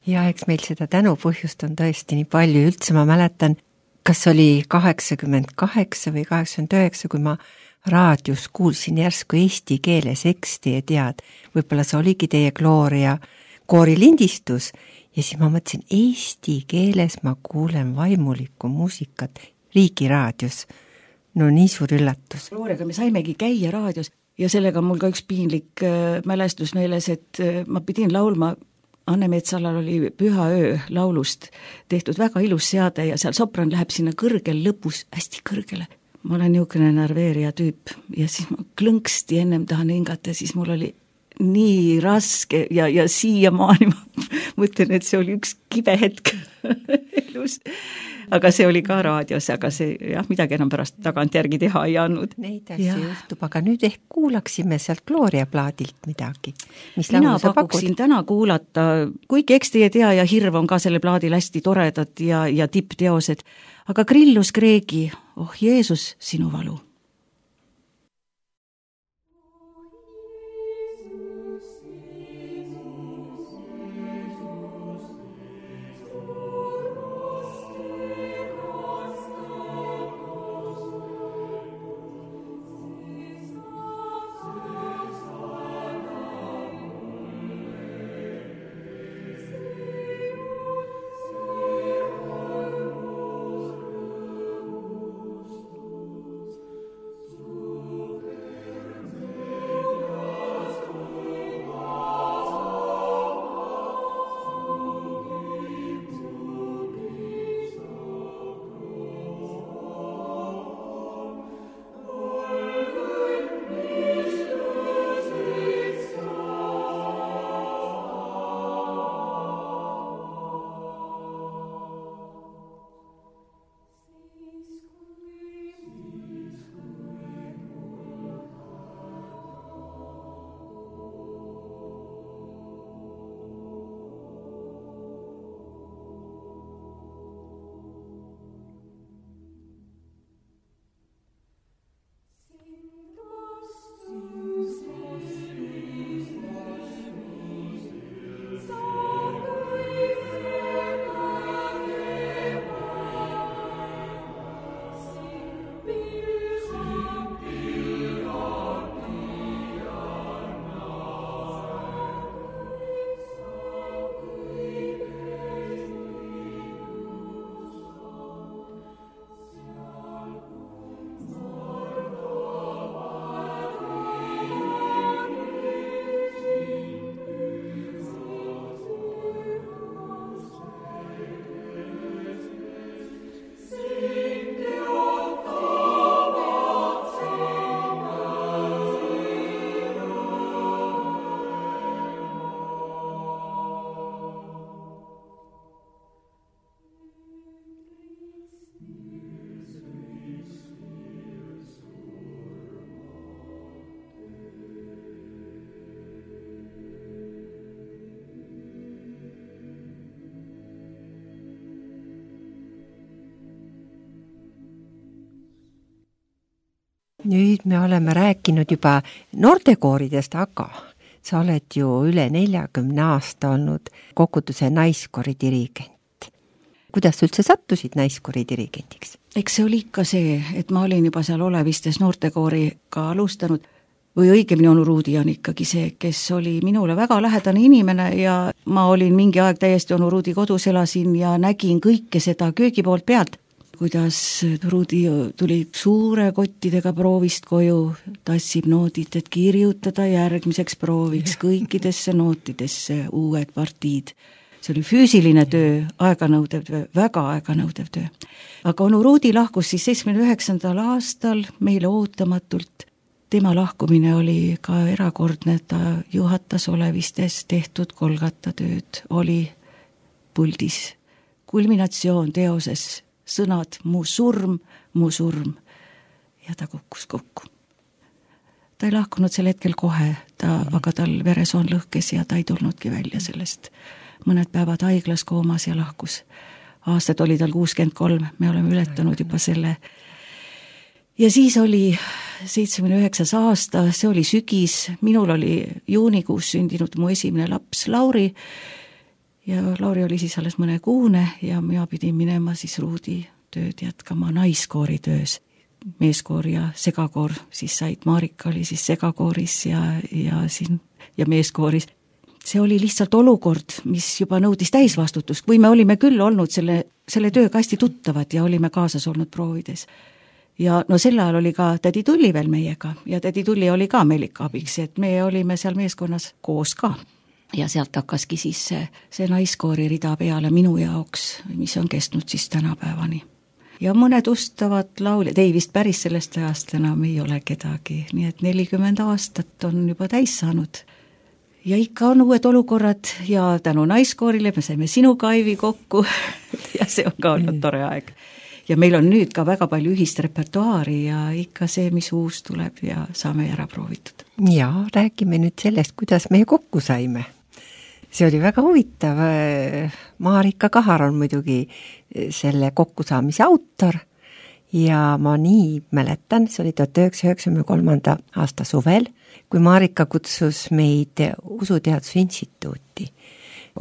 Speaker 2: Ja eks meil seda tänupõhjust on tõesti nii palju, üldse ma mäletan, kas oli 88 või 89, kui ma raadios kuulsin järsku eesti keeles eksti ja tead, võib-olla see oligi teie Gloria koorilindistus ja siis ma mõtlesin, eesti keeles ma kuulen vaimulikku muusikat Riigiraadios. No nii suur üllatus.
Speaker 3: Loorega me saimegi käia raadios ja sellega on mul ka üks piinlik mälestus meeles, et ma pidin laulma, Anne Metsalal oli Püha öö laulust tehtud väga ilus seade ja seal sopran läheb sinna kõrgel lõpus, hästi kõrgele. Ma olen niisugune närveerija tüüp ja siis ma klõnksti ennem tahan hingata, siis mul oli nii raske ja siiamaani ma mõtlen, et see oli üks kibe hetk elus. Aga see oli ka raadios, aga see jah, midagi enam pärast tagantjärgi teha ei andnud.
Speaker 2: Neid asju juhtub, aga nüüd ehk kuulaksime sealt Gloria plaadilt midagi.
Speaker 3: Mina pakuksin täna kuulata, kuigi eks teie tea ja Hirv on ka selle plaadil hästi toredad ja tippteosed, aga Grillus Kreegi, oh Jeesus, sinu valu.
Speaker 2: Nüüd me oleme rääkinud juba noortekooridest, aga sa oled ju üle 40 aasta olnud Kokutuse naiskoori dirigent. Kuidas üldse sattusid naiskoori dirigendiks?
Speaker 3: Eks see oli ikka see, et ma olin juba seal Olevistes noortekooriga alustanud või õigemini onu Ruudi on ikkagi see, kes oli minule väga lähedane inimene ja ma olin mingi aeg täiesti onu Ruudi kodus, elasin ja nägin kõike seda köögipoolt pealt. Kuidas Ruudi tuli suure kottidega proovist koju, tassib noodid, et kirjutada järgmiseks prooviks kõikidesse nootidesse uued partiid. See oli füüsiline töö, aeganõudev töö, väga aeganõudev töö. Aga onu Ruudi lahkus siis 79. aastal meile ootamatult. Tema lahkumine oli ka erakordne, ta juhatas Olevistes tehtud kolgatatööd, oli puldis. Kulminatsioon teoses sõnad mu surm, ja ta kukkus kokku. Ta ei lahkunud sel hetkel kohe, aga tal veresoon lõhkes ja ta ei tulnudki välja sellest. Mõned päevad haiglas koomas ja lahkus. Aastad oli tal 63, me oleme ületanud juba selle. Ja siis oli 79. aasta, see oli sügis, minul oli juunikuus sündinud mu esimene laps Lauri, ja Lauri oli siis alles mõne kuune ja mina pidin minema siis Ruudi tööd jätkama naiskoori töös. Meeskoor ja segakoor siis said, Marika oli siis segakooris ja meeskooris. see oli lihtsalt olukord, mis juba nõudis täisvastutust, kui me olime küll olnud selle tööga hästi tuttavad ja olime kaasas olnud proovides. Ja no sel ajal oli ka tädi Tulli veel meiega ja tädi Tulli oli ka meil ikka abiks, et me olime seal meeskonnas koos ka. Ja sealt hakkaski siis see naiskoori rida peale minu jaoks, mis on kestnud siis tänapäevani. Ja mõned ustavad lauljad, ei vist päris sellest ajast enam ei ole kedagi, nii et 40 aastat on juba täis saanud. Ja ikka on uued olukorrad ja tänu naiskoorile me saime sinuga, Aivi, kokku ja see on ka olnud tore aeg. Ja meil on nüüd ka väga palju ühist repertuaari ja ikka see, mis uus tuleb ja saame ära proovitud.
Speaker 2: Ja räägime nüüd sellest, kuidas me kokku saime. See oli väga huvitav. Marika Kahar on muidugi selle kokkusaamise autor ja ma nii mäletan, see oli 1993. aasta suvel, kui Marika kutsus meid Usuteaduse Instituuti.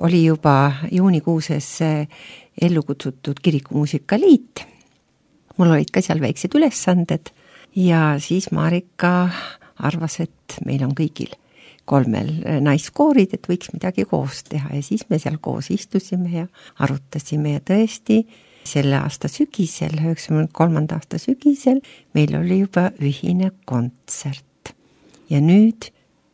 Speaker 2: Oli juba juunikuuses ellu kutsutud Kirikumuusikaliit. Mul olid ka seal väiksed ülesanded ja siis Marika arvas, et meil on kõigil 3 naiskoorid, et võiks midagi koos teha ja siis me seal koos istusime ja arutasime ja tõesti selle aasta sügisel, 93. aasta sügisel meil oli juba ühine kontsert. Ja nüüd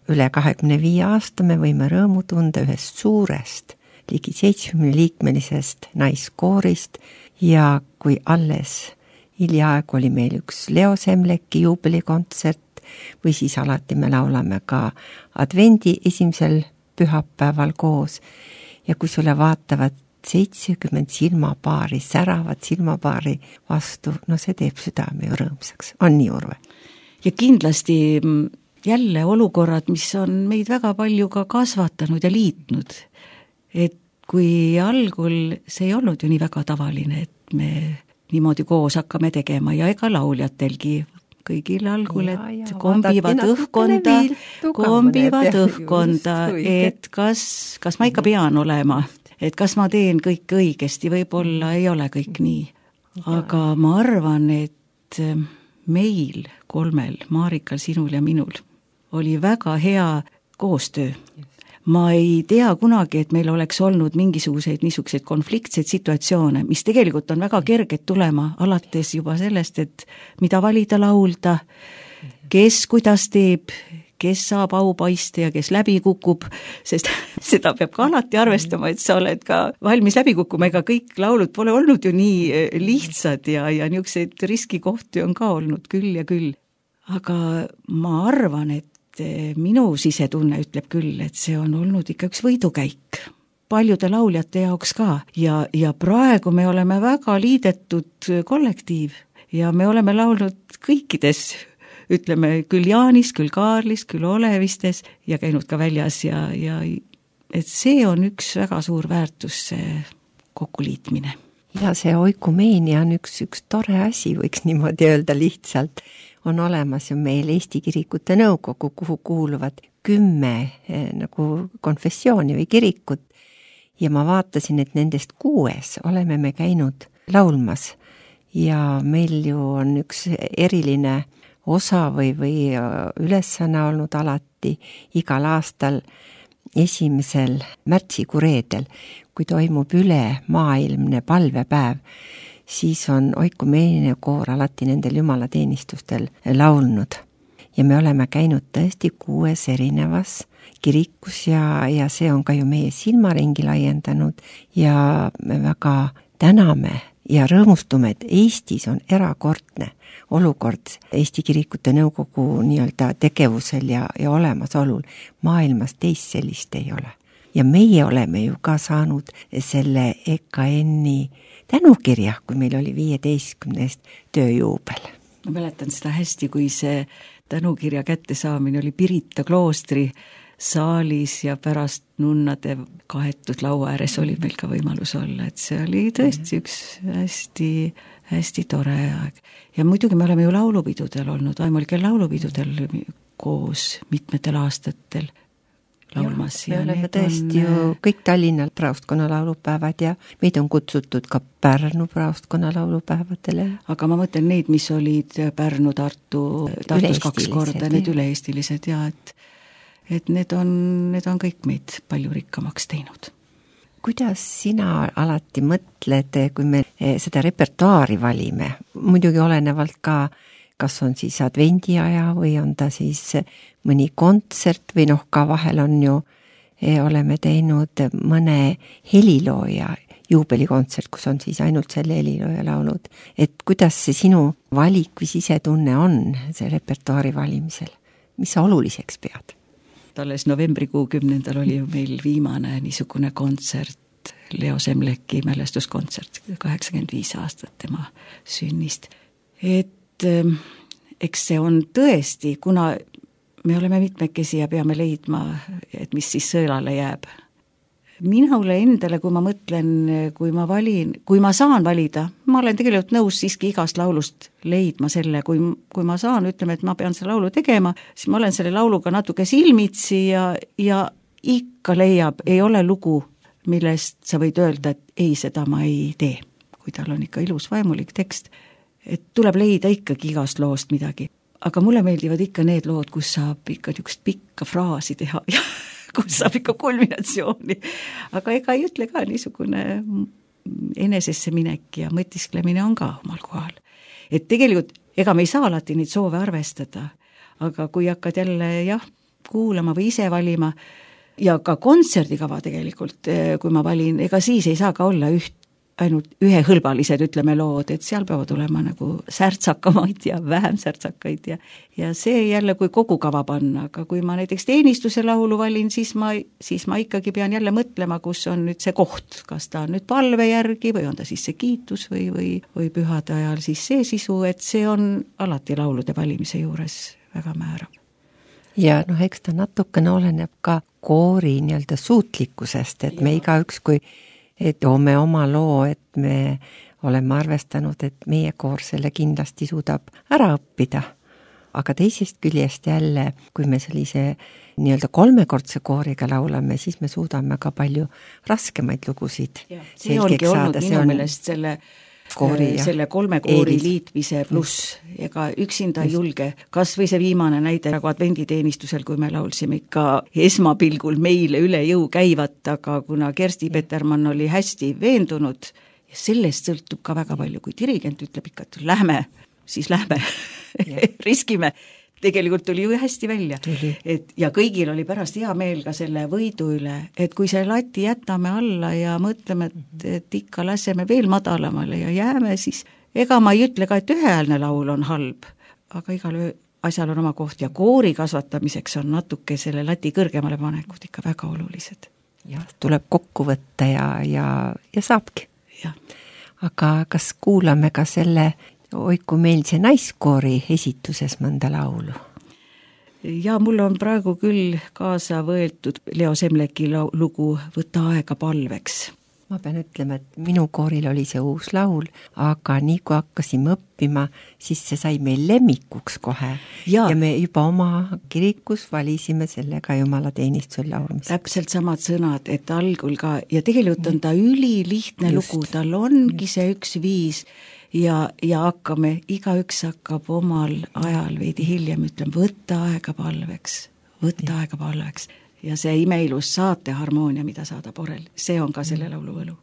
Speaker 2: üle 25 aasta me võime rõõmu tunda ühest suurest, ligi 70-liikmelisest naiskoorist ja kui alles hiljaaegu oli meil üks Leo Semleki juubelikontsert või siis alati me laulame ka advendi 1. pühapäeval koos ja kui sulle vaatavad 70 silmapaari, säravad silmapaari vastu, no see teeb südame ju rõõmsaks. On nii, Urve?
Speaker 3: Ja kindlasti jälle olukorrad, mis on meid väga palju ka kasvatanud ja liitnud. Et kui algul see ei olnud ju nii väga tavaline, et me niimoodi koos hakkame tegema ja ega lauljatelgi kõigil algul, et kombivad õhkonda, et kas ma ikka pean olema, et kas ma teen kõik õigesti, võib-olla ei ole kõik nii. Aga ma arvan, et meil 3, Marikal, sinul ja minul, oli väga hea koostöö. Ma ei tea kunagi, et meil oleks olnud mingisuguseid niisuguseid konfliktseid situatsioone, mis tegelikult on väga kerged tulema, alates juba sellest, et mida valida laulda, kes kuidas teeb, kes saab aupaiste ja kes läbi kukub, sest seda peab ka alati arvestama, et sa oled ka valmis läbi kukkuma, ega kõik laulud pole olnud ju nii lihtsad ja niisuguseid riskikohti on ka olnud küll ja küll. Aga ma arvan, et minu sisetunne ütleb küll, et see on olnud ikka üks võidukäik paljude lauljate jaoks ka ja praegu me oleme väga liidetud kollektiiv ja me oleme laulnud kõikides, ütleme küll Jaanis, küll Kaarlis, küll Olevistes ja käinud ka väljas ja et see on üks väga suur väärtus, see kokkuliitmine.
Speaker 2: Ja see oikumeenia on üks tore asi, võiks niimoodi öelda lihtsalt. On olemas ju meil Eesti Kirikute Nõukogu, kuhu kuuluvad 10 nagu konfessiooni või kirikut ja ma vaatasin, et nendest 6 oleme me käinud laulmas ja meil ju on üks eriline osa või ülesanne olnud alati igal aastal 1. märtsikuu reedel, kui toimub üle maailmne palvepäev, siis on oikumeenia koor alati nendel jumalateenistustel laulnud. Ja me oleme käinud tõesti 6 erinevas kirikus ja see on ka ju meie silmaringi laiendanud ja me väga täname ja rõõmustume, et Eestis on erakordne olukord Eesti Kirikute Nõukogu nii-öelda tegevusel ja olemasolul. Maailmas teist sellist ei ole. Ja meie oleme ju ka saanud selle EKN-i tänukirja, kui meil oli 15. tööjuubel.
Speaker 3: Ma mäletan seda hästi, kui see tänukirja kättesaamine oli Pirita kloostri saalis ja pärast nunnade kaetud laua ääres oli meil ka võimalus olla, et see oli tõesti üks hästi tore aeg. Ja muidugi me oleme ju laulupidudel olnud, Aimulkel laulupidudel koos mitmetel aastatel laulmas.
Speaker 2: Me oleme tõesti ju kõik Tallinna praostkonna laulupäevad ja meid on kutsutud ka Pärnu praostkonna laulupäevadele.
Speaker 3: Aga ma mõtlen neid, mis olid Pärnu, Tartus 2 korda, need üle-eestilised ja et need on kõik meid palju rikkamaks teinud.
Speaker 2: Kuidas sina alati mõtled, kui me seda repertuaari valime, muidugi olenevalt ka, kas on siis advendiaja või on ta siis mõni kontsert või ka vahel on ju, oleme teinud mõne helilooja juubelikontsert, kus on siis ainult selle helilooja laulud, et kuidas see sinu valik või sisetunne on see repertuaari valimisel, mis sa oluliseks pead?
Speaker 3: Alles novembrikuu 10. oli ju meil viimane niisugune kontsert, Leo Semleki mälestuskontsert, 85 aastat tema sünnist. Et eks see on tõesti, kuna me oleme mitmekesi ja peame leidma, et mis siis sõelale jääb. Minule endale, kui ma mõtlen, kui ma saan valida, ma olen tegelikult nõus siiski igast laulust leidma selle, kui ma saan, ütleme, et ma pean selle laulu tegema, siis ma olen selle lauluga natuke silmitsi ja ikka leiab, ei ole lugu, millest sa võid öelda, et ei, seda ma ei tee, kui tal on ikka ilus vaimulik tekst, et tuleb leida ikkagi igast loost midagi. Aga mulle meeldivad ikka need lood, kus saab ikka niisugust pikka fraasi teha ja kus saab ikka kulminatsiooni. Aga ega ei ütle ka niisugune enesesse minek ja mõtisklemine on ka omal kohal. Et tegelikult, ega me ei saa alati neid soove arvestada, aga kui hakkad jälle kuulama või ise valima ja ka kontserdikava tegelikult, kui ma valin, ega siis ei saa ka olla ainult ühehõlbalised, ütleme lood, et seal peavad olema nagu särtsakamaid ja vähem särtsakaid ja see jälle, kui kogu kava panna, aga kui ma näiteks teenistuse laulu valin, siis ma ikkagi pean jälle mõtlema, kus on nüüd see koht, kas ta on nüüd palve järgi või on ta siis see kiitus või pühade ajal siis see sisu, et see on alati laulude valimise juures väga määrav.
Speaker 2: Ja eks ta natukene oleneb ka koori nii-öelda suutlikkusest, et me igaüks, kui toome oma loo, et me oleme arvestanud, et meie koor selle kindlasti suudab ära õppida. Aga teisest küljest jälle, kui me sellise nii-öelda kolmekordse kooriga laulame, siis me suudame ka palju raskemaid lugusid.
Speaker 3: See ongi olnud minu meelest selle kolme koori liitmise pluss, ega üksinda ei julge. Kas või see viimane näide nagu advenditeenistusel, kui me laulsime ikka esmapilgul meile üle jõu käivat, aga kuna Kersti Petermann oli hästi veendunud, ja sellest sõltub ka väga palju, kui dirigent ütleb ikka, et lähme, siis lähme, riskime. Tegelikult tuli ju hästi välja. Ja kõigil oli pärast hea meel ka selle võidu üle, et kui see lati jätame alla ja mõtleme, et ikka laseme veel madalamale ja jääme, siis ega ma ei ütle ka, et üheäälne laul on halb, aga igal asjal on oma koht ja koori kasvatamiseks on natuke selle lati kõrgemale panekud ikka väga olulised.
Speaker 2: Ja tuleb kokku võtta ja saabki.
Speaker 3: Ja.
Speaker 2: Aga kas kuulame ka selle Oiku meil see naiskoori esituses mõnda laulu?
Speaker 3: Ja mul on praegu küll kaasa võetud Leo Semleki lugu Võta aega palveks.
Speaker 2: Ma pean ütlema, et minu kooril oli see uus laul, aga nii kui hakkasime õppima, siis see sai meil lemmikuks kohe. Ja me juba oma kirikus valisime sellega jumalateenistusel laulmist.
Speaker 3: Täpselt samad sõnad, et algul ka, ja tegelikult on ta ülilihtne lugu, tal ongi see üks viis, ja igaüks hakkab omal ajal veidi hiljem ütlema, võtta aega palveks. Ja see imeilus saate harmoonia, mida saadab orel, see on ka selle laulu võlu.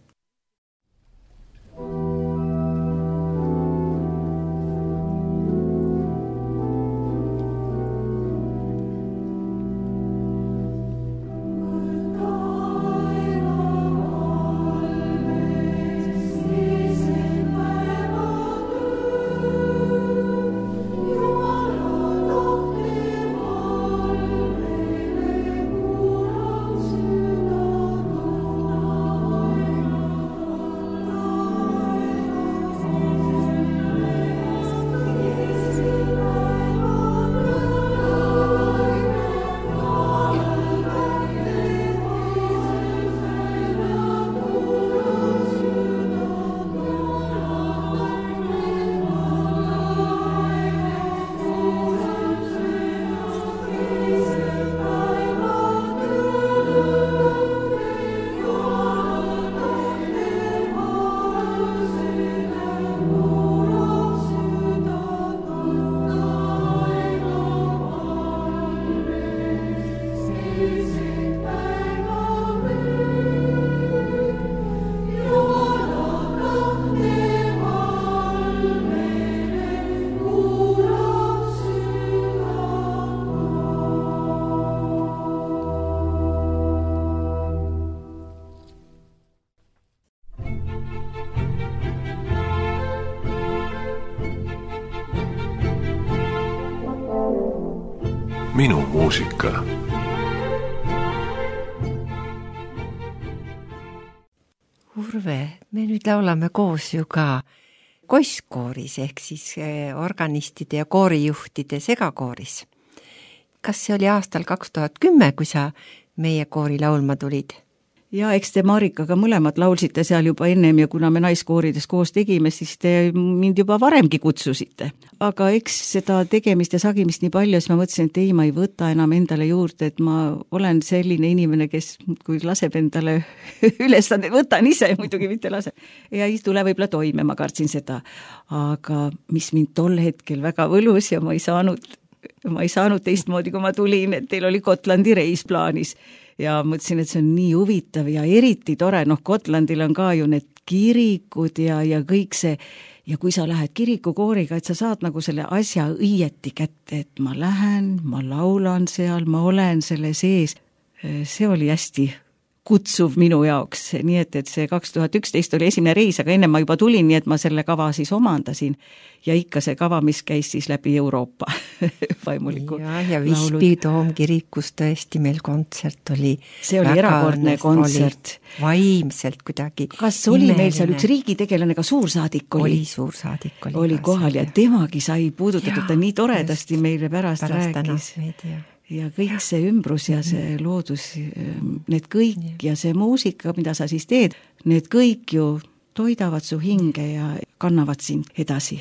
Speaker 4: minu muusika.
Speaker 2: Urve, me nüüd laulame koos ju ka Koisskooris ehk siis organistide ja koorijuhtide segakooris. Kas see oli aastal 2010, kui sa meie koori laulma tulid?
Speaker 3: Ja eks te Marikaga mõlemad laulsite seal juba ennem ja kuna me naiskoorides koos tegime, siis te mind juba varemgi kutsusite. Aga eks seda tegemist ja sagimist nii palju, siis ma mõtlesin, et ei, ma ei võta enam endale juurde, et ma olen selline inimene, kes kui laseb endale ülesande, võtan ise, muidugi mitte lase. Ja ei tule võib-olla toime, ma kartsin seda. Aga mis mind tol hetkel väga võlus ja ma ei saanud teistmoodi, kui ma tulin, et teil oli Gotlandi reis plaanis. Ja mõtlesin, et see on nii huvitav ja eriti tore, Gotlandil on ka ju need kirikud ja kõik see, ja kui sa lähed kirikukooriga, et sa saad nagu selle asja õieti kätte, et ma lähen, ma laulan seal, ma olen selle sees, see oli hästi kutsuv minu jaoks, nii et see 2011 oli esimene reis, aga enne ma juba tulin, nii et ma selle kava siis omandasin ja ikka see kava, mis käis siis läbi Euroopa vaimuliku
Speaker 2: ja Visby Toomkirikus tõesti meil kontsert oli.
Speaker 3: See oli erakordne kontsert.
Speaker 2: Vaimselt kuidagi.
Speaker 3: Kas oli meil seal üks riigitegelane, ka suursaadik oli?
Speaker 2: Suursaadik
Speaker 3: oli kohal ja temagi sai puudutatud, ta nii toredasti meile pärast rääkis. Ja kõik see ümbrus ja see loodus, need kõik ja see muusika, mida sa siis teed, need kõik ju toidavad su hinge ja kannavad sind edasi.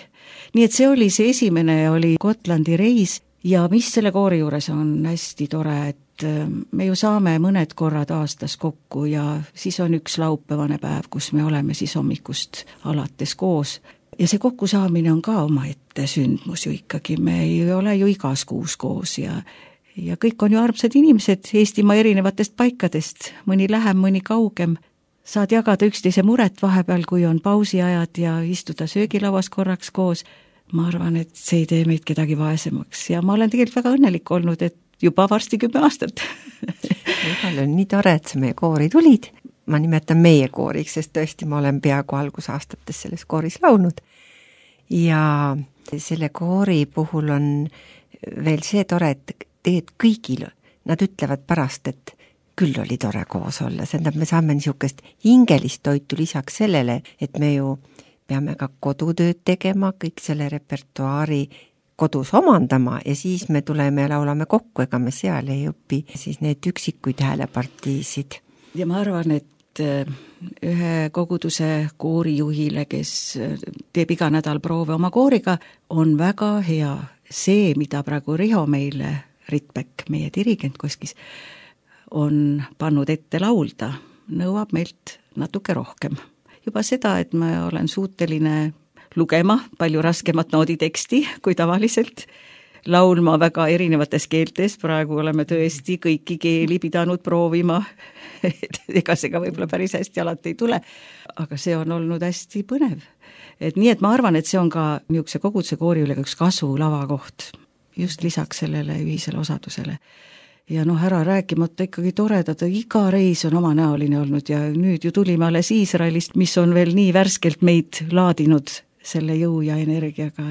Speaker 3: Nii et see oli see esimene, oli Gotlandi reis ja mis selle koori juures on hästi tore, et me ju saame mõned korrad aastas kokku ja siis on üks laupäevane päev, kus me oleme siis hommikust alates koos. Ja see kokkusaamine on ka omaette sündmus ju ikkagi, me ei ole ju igas kuus koos ja kõik on ju armsad inimesed Eestimaa erinevatest paikadest, mõni lähem, mõni kaugem. Saad jagada üksteise muret vahepeal, kui on pausiajad ja istuda söögilauas korraks koos. Ma arvan, et see ei tee meid kedagi vaesemaks ja ma olen tegelikult väga õnnelik olnud, et juba varsti 10 aastat.
Speaker 2: Igal on nii tore, et sa meie koori tulid. Ma nimetan meie kooriks, sest tõesti ma olen peaaegu algusaastates selles kooris laulnud. Ja selle koori puhul on veel see tore, et teed kõigil, nad ütlevad pärast, et küll oli tore koos olla, sest me saame niisugust hingelist toitu lisaks sellele, et me ju peame ka kodutööd tegema, kõik selle repertuaari kodus omandama ja siis me tuleme ja laulame kokku, ega me seal ei õpi siis need üksikuid häälepartiisid.
Speaker 3: Ja ma arvan, et ühe koguduse koorijuhile, kes teeb iga nädal proove oma kooriga, on väga hea see, mida praegu Riho meile Ritbek, meie dirigent Koskis, on pannud ette laulda, nõuab meilt natuke rohkem. Juba seda, et ma olen suuteline lugema palju raskemat nooditeksti kui tavaliselt, laulma väga erinevates keeltes, praegu oleme tõesti kõiki keeli pidanud proovima, ega see ka võib-olla päris hästi alati ei tule, aga see on olnud hästi põnev. Et nii, et ma arvan, et see on ka niisuguse koguduse koori üle üks kasvulava koht, just lisaks sellele ühisele osadusele. Ja ära rääkimata ikkagi toredad, iga reis on omanäoline olnud ja nüüd ju tulime alles Iisraelist, mis on veel nii värskelt meid laadinud selle jõu ja energiaga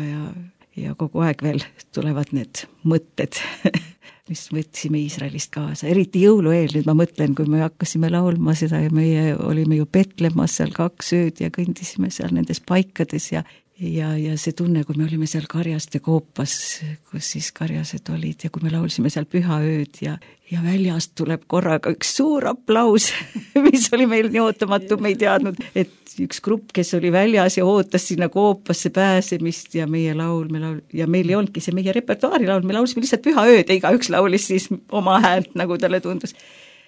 Speaker 3: ja kogu aeg veel tulevad need mõtted, mis võtsime Iisraelist kaasa. Eriti jõulueel, nüüd ma mõtlen, kui me hakkasime laulma seda ja meie olime ju Petlemmas seal 2 ööd ja kõndisime seal nendes paikades ja see tunne, kui me olime seal Karjaste koopas, kus siis karjased olid ja kui me laulsime seal pühaööd ja väljast tuleb korraga üks suur aplaus, mis oli meil nii ootamatu, me ei teadnud, et üks grupp, kes oli väljas ja ootas sinna koopasse pääsemist ja meie laul ja meil ei olnudki see meie repertuaari laul, me laulsime lihtsalt pühaööd ja igaüks laulis siis oma häält, nagu talle tundus.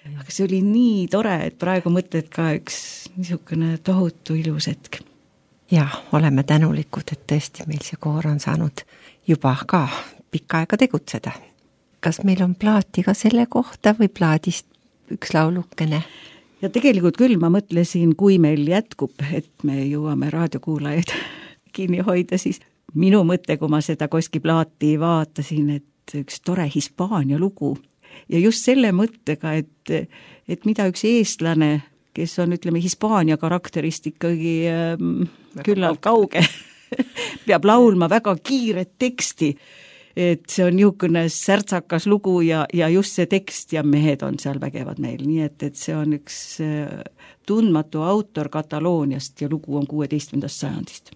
Speaker 3: Aga see oli nii tore, et praegu mõtled ka üks niisugune tohutu ilus hetk.
Speaker 2: Ja, oleme tänulikud, et tõesti meil see koor on saanud juba ka pikka aega tegutseda. Kas meil on plaati ka selle kohta või plaadist üks laulukene?
Speaker 3: Ja tegelikult küll ma mõtlesin, kui meil jätkub, et me jõuame raadiokuulajaid kinni hoida, siis minu mõte, kui ma seda Koski plaati vaatasin, et üks tore Hispaania lugu ja just selle mõttega, et mida üks eestlane, kes on, ütleme, Hispaania karakterist ikkagi küllalt kauge, peab laulma väga kiiret teksti, et see on niisugune särtsakas lugu ja just see tekst ja mehed on seal vägevad meil, nii et see on üks tundmatu autor Katalooniast ja lugu on 16. sajandist.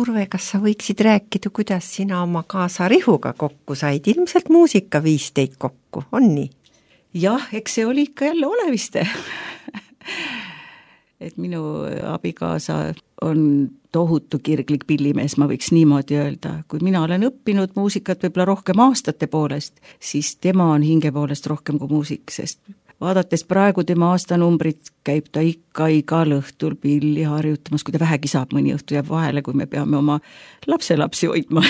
Speaker 2: Urve, kas sa võiksid rääkida, kuidas sina oma kaasa Rihuga kokku said? Ilmselt muusika viis teid kokku, on nii?
Speaker 3: Jah, eks see oli ikka jälle oleviste. Et minu abikaasa on tohutu kirglik pillimees, ma võiks niimoodi öelda. Kui mina olen õppinud muusikat võib-olla rohkem aastate poolest, siis tema on hinge poolest rohkem kui muusik, sest vaadates praegu tema aastanumbrit, käib ta ikka igal õhtul pilli harjutamas, kui ta vähegi saab, mõni õhtu jääb vahele, kui me peame oma lapselapsi hoidma.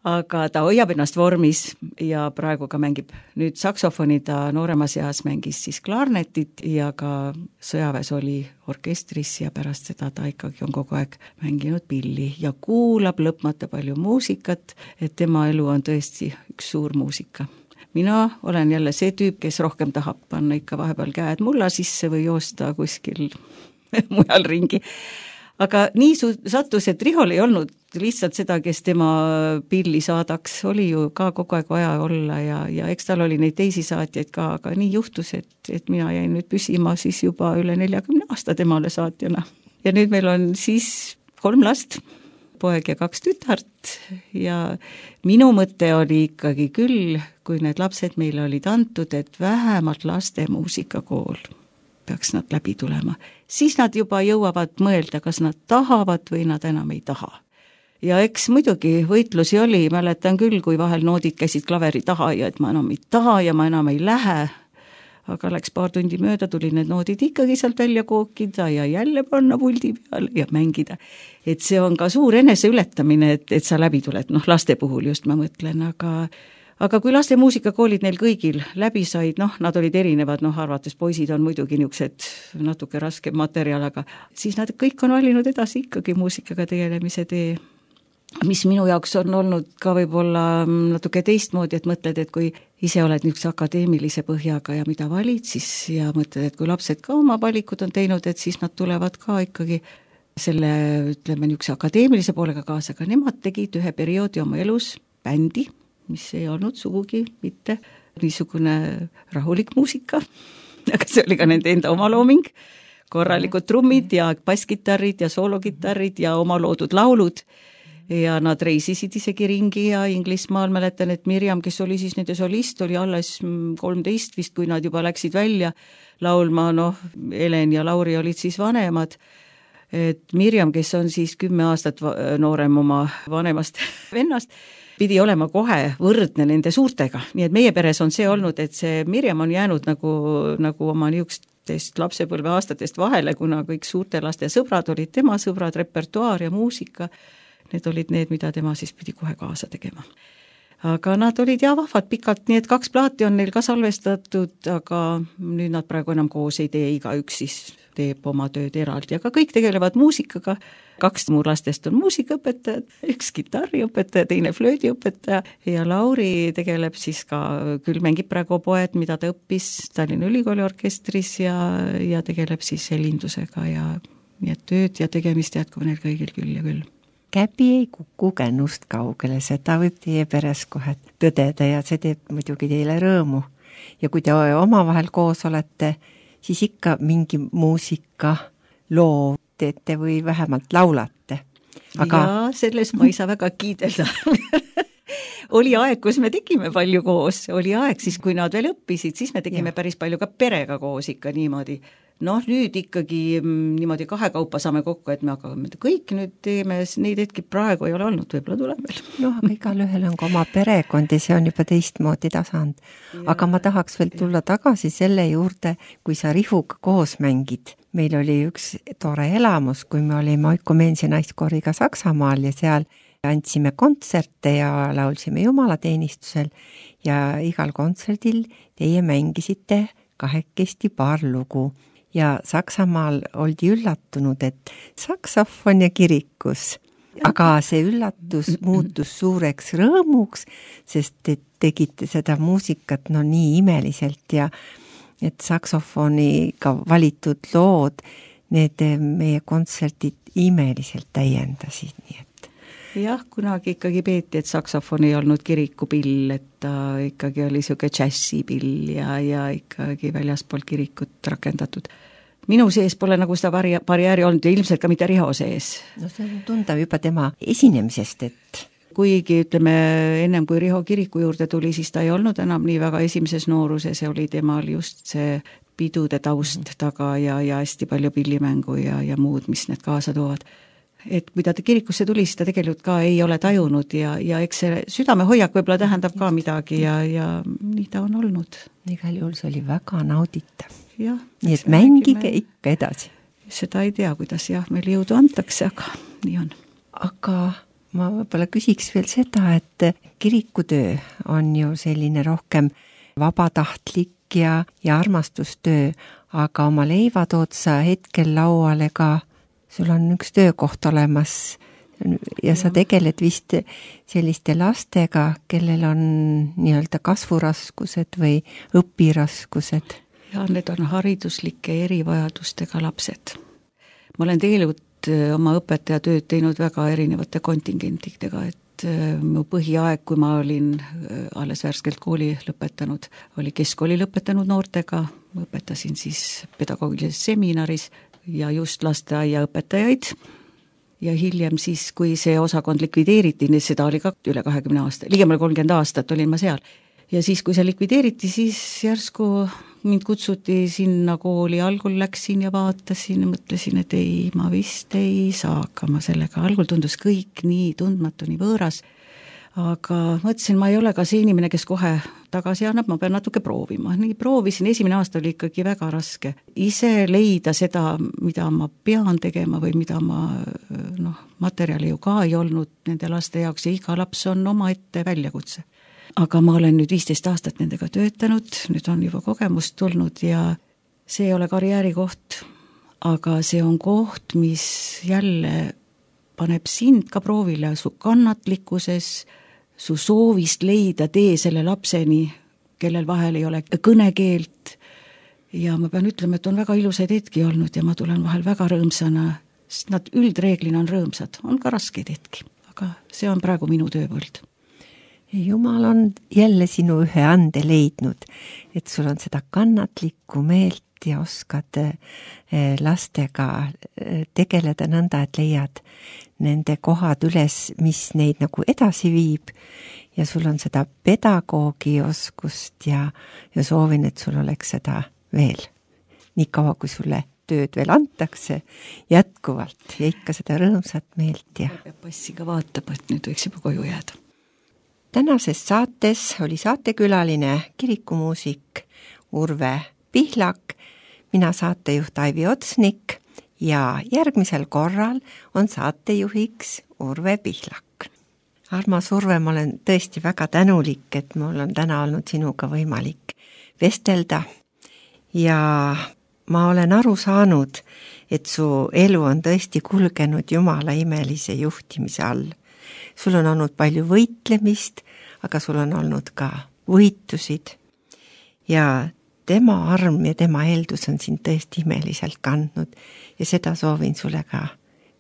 Speaker 3: Aga ta hoiab ennast vormis ja praegu ka mängib nüüd saksofoni, ta nooremas eas mängis siis klarnetit ja ka sõjaväes oli orkestris ja pärast seda ta ikkagi on kogu aeg mänginud pilli ja kuulab lõpmata palju muusikat, et tema elu on tõesti üks suur muusika. Mina olen jälle see tüüp, kes rohkem tahab panna ikka vahepeal käed mulla sisse või joosta kuskil mujal ringi. Aga nii sattus, et Rihol ei olnud lihtsalt seda, kes tema pilli saadaks, oli ju ka kogu aeg vaja olla ja eks tal oli neid teisi saatjaid ka, aga nii juhtus, et mina jäin nüüd püsima siis juba üle 40 aasta temale saatjana. Ja nüüd meil on siis 3 last, poeg ja 2 tütart ja minu mõte oli ikkagi küll, kui need lapsed meile olid antud, et vähemalt laste muusikakool peaks nad läbi tulema. Siis nad juba jõuavad mõelda, kas nad tahavad või nad enam ei taha. Ja eks muidugi võitlusi oli, mäletan küll, kui vahel noodid käisid klaveri taha ja et ma enam ei taha ja ma enam ei lähe. Aga läks paar tundi mööda, tuli need noodid ikkagi sealt välja kookida ja jälle panna puldi peale ja mängida. Et see on ka suur eneseületamine, et sa läbi tuled, laste puhul just ma mõtlen, aga kui laste muusikakoolid neil kõigil läbi said, nad olid erinevad, arvates poisid on muidugi niisugused natuke raskem materjal, aga siis nad kõik on valinud edasi ikkagi muusikaga tegelemise tee. Mis minu jaoks on olnud ka võib-olla natuke teistmoodi, et mõtled, et kui ise oled niisuguse akadeemilise põhjaga ja mida valid, siis ja mõtled, et kui lapsed ka oma valikud on teinud, et siis nad tulevad ka ikkagi selle, ütleme, niisuguse akadeemilise poolega kaasa, aga nemad tegid ühe perioodi oma elus bändi, mis ei olnud sugugi mitte niisugune rahulik muusika, aga see oli ka nende enda omalooming, korralikud trummid ja basskitarrid ja soologitarrid ja oma loodud laulud. Ja nad reisisid isegi ringi ja Inglismaal mäletan, et Mirjam, kes oli siis nende solist, oli alles 13 vist, kui nad juba läksid välja laulma, Helen ja Lauri olid siis vanemad, et Mirjam, kes on siis 10 aastat noorem oma vanemast vennast, pidi olema kohe võrdne nende suurtega, nii et meie peres on see olnud, et see Mirjam on jäänud nagu oma niisugustest lapsepõlve aastatest vahele, kuna kõik suurte laste sõbrad olid tema sõbrad, repertuaar ja muusika. Need olid need, mida tema siis pidi kohe kaasa tegema. Aga nad olid vahvad pikalt, nii et 2 plaati on neil ka salvestatud, aga nüüd nad praegu enam koos ei tee, igaüks siis teeb oma tööd eraldi, aga kõik tegelevad muusikaga. 2 mu lastest on muusikaõpetajad, 1 kitarriõpetaja, teine flöödiõpetaja ja Lauri tegeleb siis ka, küll mängib praegu poed, mida ta õppis Tallinna Ülikooli orkestris ja tegeleb siis helindusega ja nii et tööd ja tegemist jätkub neil kõigil küll ja küll.
Speaker 2: Käbi ei kuku kännust kaugele, seda võib teie peres kohe tõdeda ja see teeb muidugi teile rõõmu. Ja kui te omavahel koos olete, siis ikka mingi muusika loo teete või vähemalt laulate. Aga...
Speaker 3: Ja selles ma ei saa väga kiidelda. Oli aeg, kus me tegime palju koos, oli aeg siis, kui nad veel õppisid, siis me tegime päris palju ka perega koos ikka niimoodi. Noh, nüüd ikkagi niimoodi kahekaupa saame kokku, et me hakkame kõik nüüd teeme, neid hetki praegu ei ole olnud, võib-olla tuleb veel.
Speaker 2: Noh, aga igal ühel on ka oma perekond ja see on juba teistmoodi tasand. Aga ma tahaks veel tulla tagasi selle juurde, kui sa Rihuga koos mängid. Meil oli üks tore elamus, kui me olime Oikumensi naiskooriga Saksamaal ja seal andsime kontserte ja laulsime jumalateenistusel ja igal kontserdil teie mängisite kahekesti paar lugu. Ja Saksamaal oldi üllatunud, et saksofon ja kirikus. Aga see üllatus muutus suureks rõõmuks, sest te tegite seda muusikat nii imeliselt ja et saksofoniga valitud lood, need meie kontserdid imeliselt täiendasid, nii et.
Speaker 3: Jah, kunagi ikkagi peeti, et saksofon ei olnud kirikupill, et ta ikkagi oli siuke džässipill ja ikkagi väljaspool kirikut rakendatud. Minu sees pole nagu seda barjääri olnud ja ilmselt ka mitte Riho sees.
Speaker 2: No see on tunda juba tema esinemisest, et...
Speaker 3: Kuigi ütleme, ennem kui Riho kiriku juurde tuli, siis ta ei olnud enam nii väga esimeses nooruses ja oli temal just see pidude taust taga ja hästi palju pillimängu ja muud, mis need kaasa toovad. Et kui ta kirikusse tuli, siis ta tegelikult ka ei ole tajunud ja eks see südamehoiak võib-olla tähendab ka midagi ja nii ta on olnud.
Speaker 2: Igal juhul see oli väga nauditav.
Speaker 3: Ja,
Speaker 2: nii et mängige ikka edasi.
Speaker 3: Seda ei tea, kuidas meil jõudu antakse, aga nii on.
Speaker 2: Aga ma võib-olla küsiks veel seda, et kirikutöö on ju selline rohkem vabatahtlik ja armastustöö, aga oma leiva tood sa hetkel lauale ka. Sul on üks töökoht olemas ja sa tegeled vist selliste lastega, kellel on nii-öelda kasvuraskused või õpiraskused.
Speaker 3: Ja need on hariduslike erivajadustega lapsed. Ma olen tegelikult oma õpetajatööd teinud väga erinevate kontingentidega, et mu põhiaeg, kui ma olin alles värskelt kooli lõpetanud, oli keskkooli lõpetanud noortega, õpetasin siis pedagoogilises seminaris ja just lasteaiaõpetajaid ja hiljem siis, kui see osakond likvideeriti, seda oli ka üle 20 aasta, ligemale 30 aastat olin ma seal. Ja siis, kui see likvideeriti, siis järsku mind kutsuti sinna kooli, algul läksin ja vaatasin ja mõtlesin, et ei, ma vist ei saa hakkama sellega. Algul tundus kõik nii tundmatu, nii võõras, aga mõtlesin, ma ei ole ka see inimene, kes kohe tagasi annab, ma pean natuke proovima. Nii proovisin, esimene aasta oli ikkagi väga raske. Ise leida seda, mida ma pean tegema või mida ma, materjali ju ka ei olnud nende laste jaoks ja iga laps on oma ette väljakutse. Aga ma olen nüüd 15 aastat nendega töötanud, nüüd on juba kogemust tulnud ja see ei ole karjääri koht, aga see on koht, mis jälle paneb sind ka proovile su kannatlikkuses, su soovist leida tee selle lapseni, kellel vahel ei ole kõnekeelt ja ma pean ütlema, et on väga ilusaid hetki olnud ja ma tulen vahel väga rõõmsana, sest nad üldreeglina on rõõmsad, on ka raskeid hetki, aga see on praegu minu tööpõld.
Speaker 2: Jumal on jälle sinu ühe ande leidnud, et sul on seda kannatlikku meelt ja oskad lastega tegeleda nõnda, et leiad nende kohad üles, mis neid nagu edasi viib ja sul on seda pedagoogi oskust ja soovin, et sul oleks seda veel. Nii kaua, kui sulle tööd veel antakse jätkuvalt ja ikka seda rõõmsat meelt. Ja
Speaker 3: passiga vaatab, et nüüd võiks juba koju jääda.
Speaker 2: Tänases saates oli saatekülaline kirikumuusik Urve Pihlak, mina saatejuht Aivi Otsnik ja järgmisel korral on saatejuhiks Urve Pihlak. Armas Urve, ma olen tõesti väga tänulik, et mul on täna olnud sinuga võimalik vestelda ja ma olen aru saanud, et su elu on tõesti kulgenud Jumala imelise juhtimise all. Sul on olnud palju võitlemist, aga sul on olnud ka võitusid ja tema arm ja tema heldus on sind tõesti imeliselt kandnud ja seda soovin sulle ka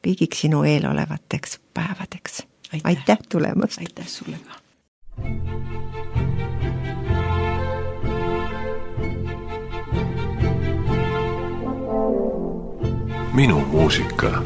Speaker 2: kõigiks sinu eelolevateks päevadeks. Aitäh tulemast!
Speaker 3: Aitäh sulle ka!
Speaker 4: minu muusika.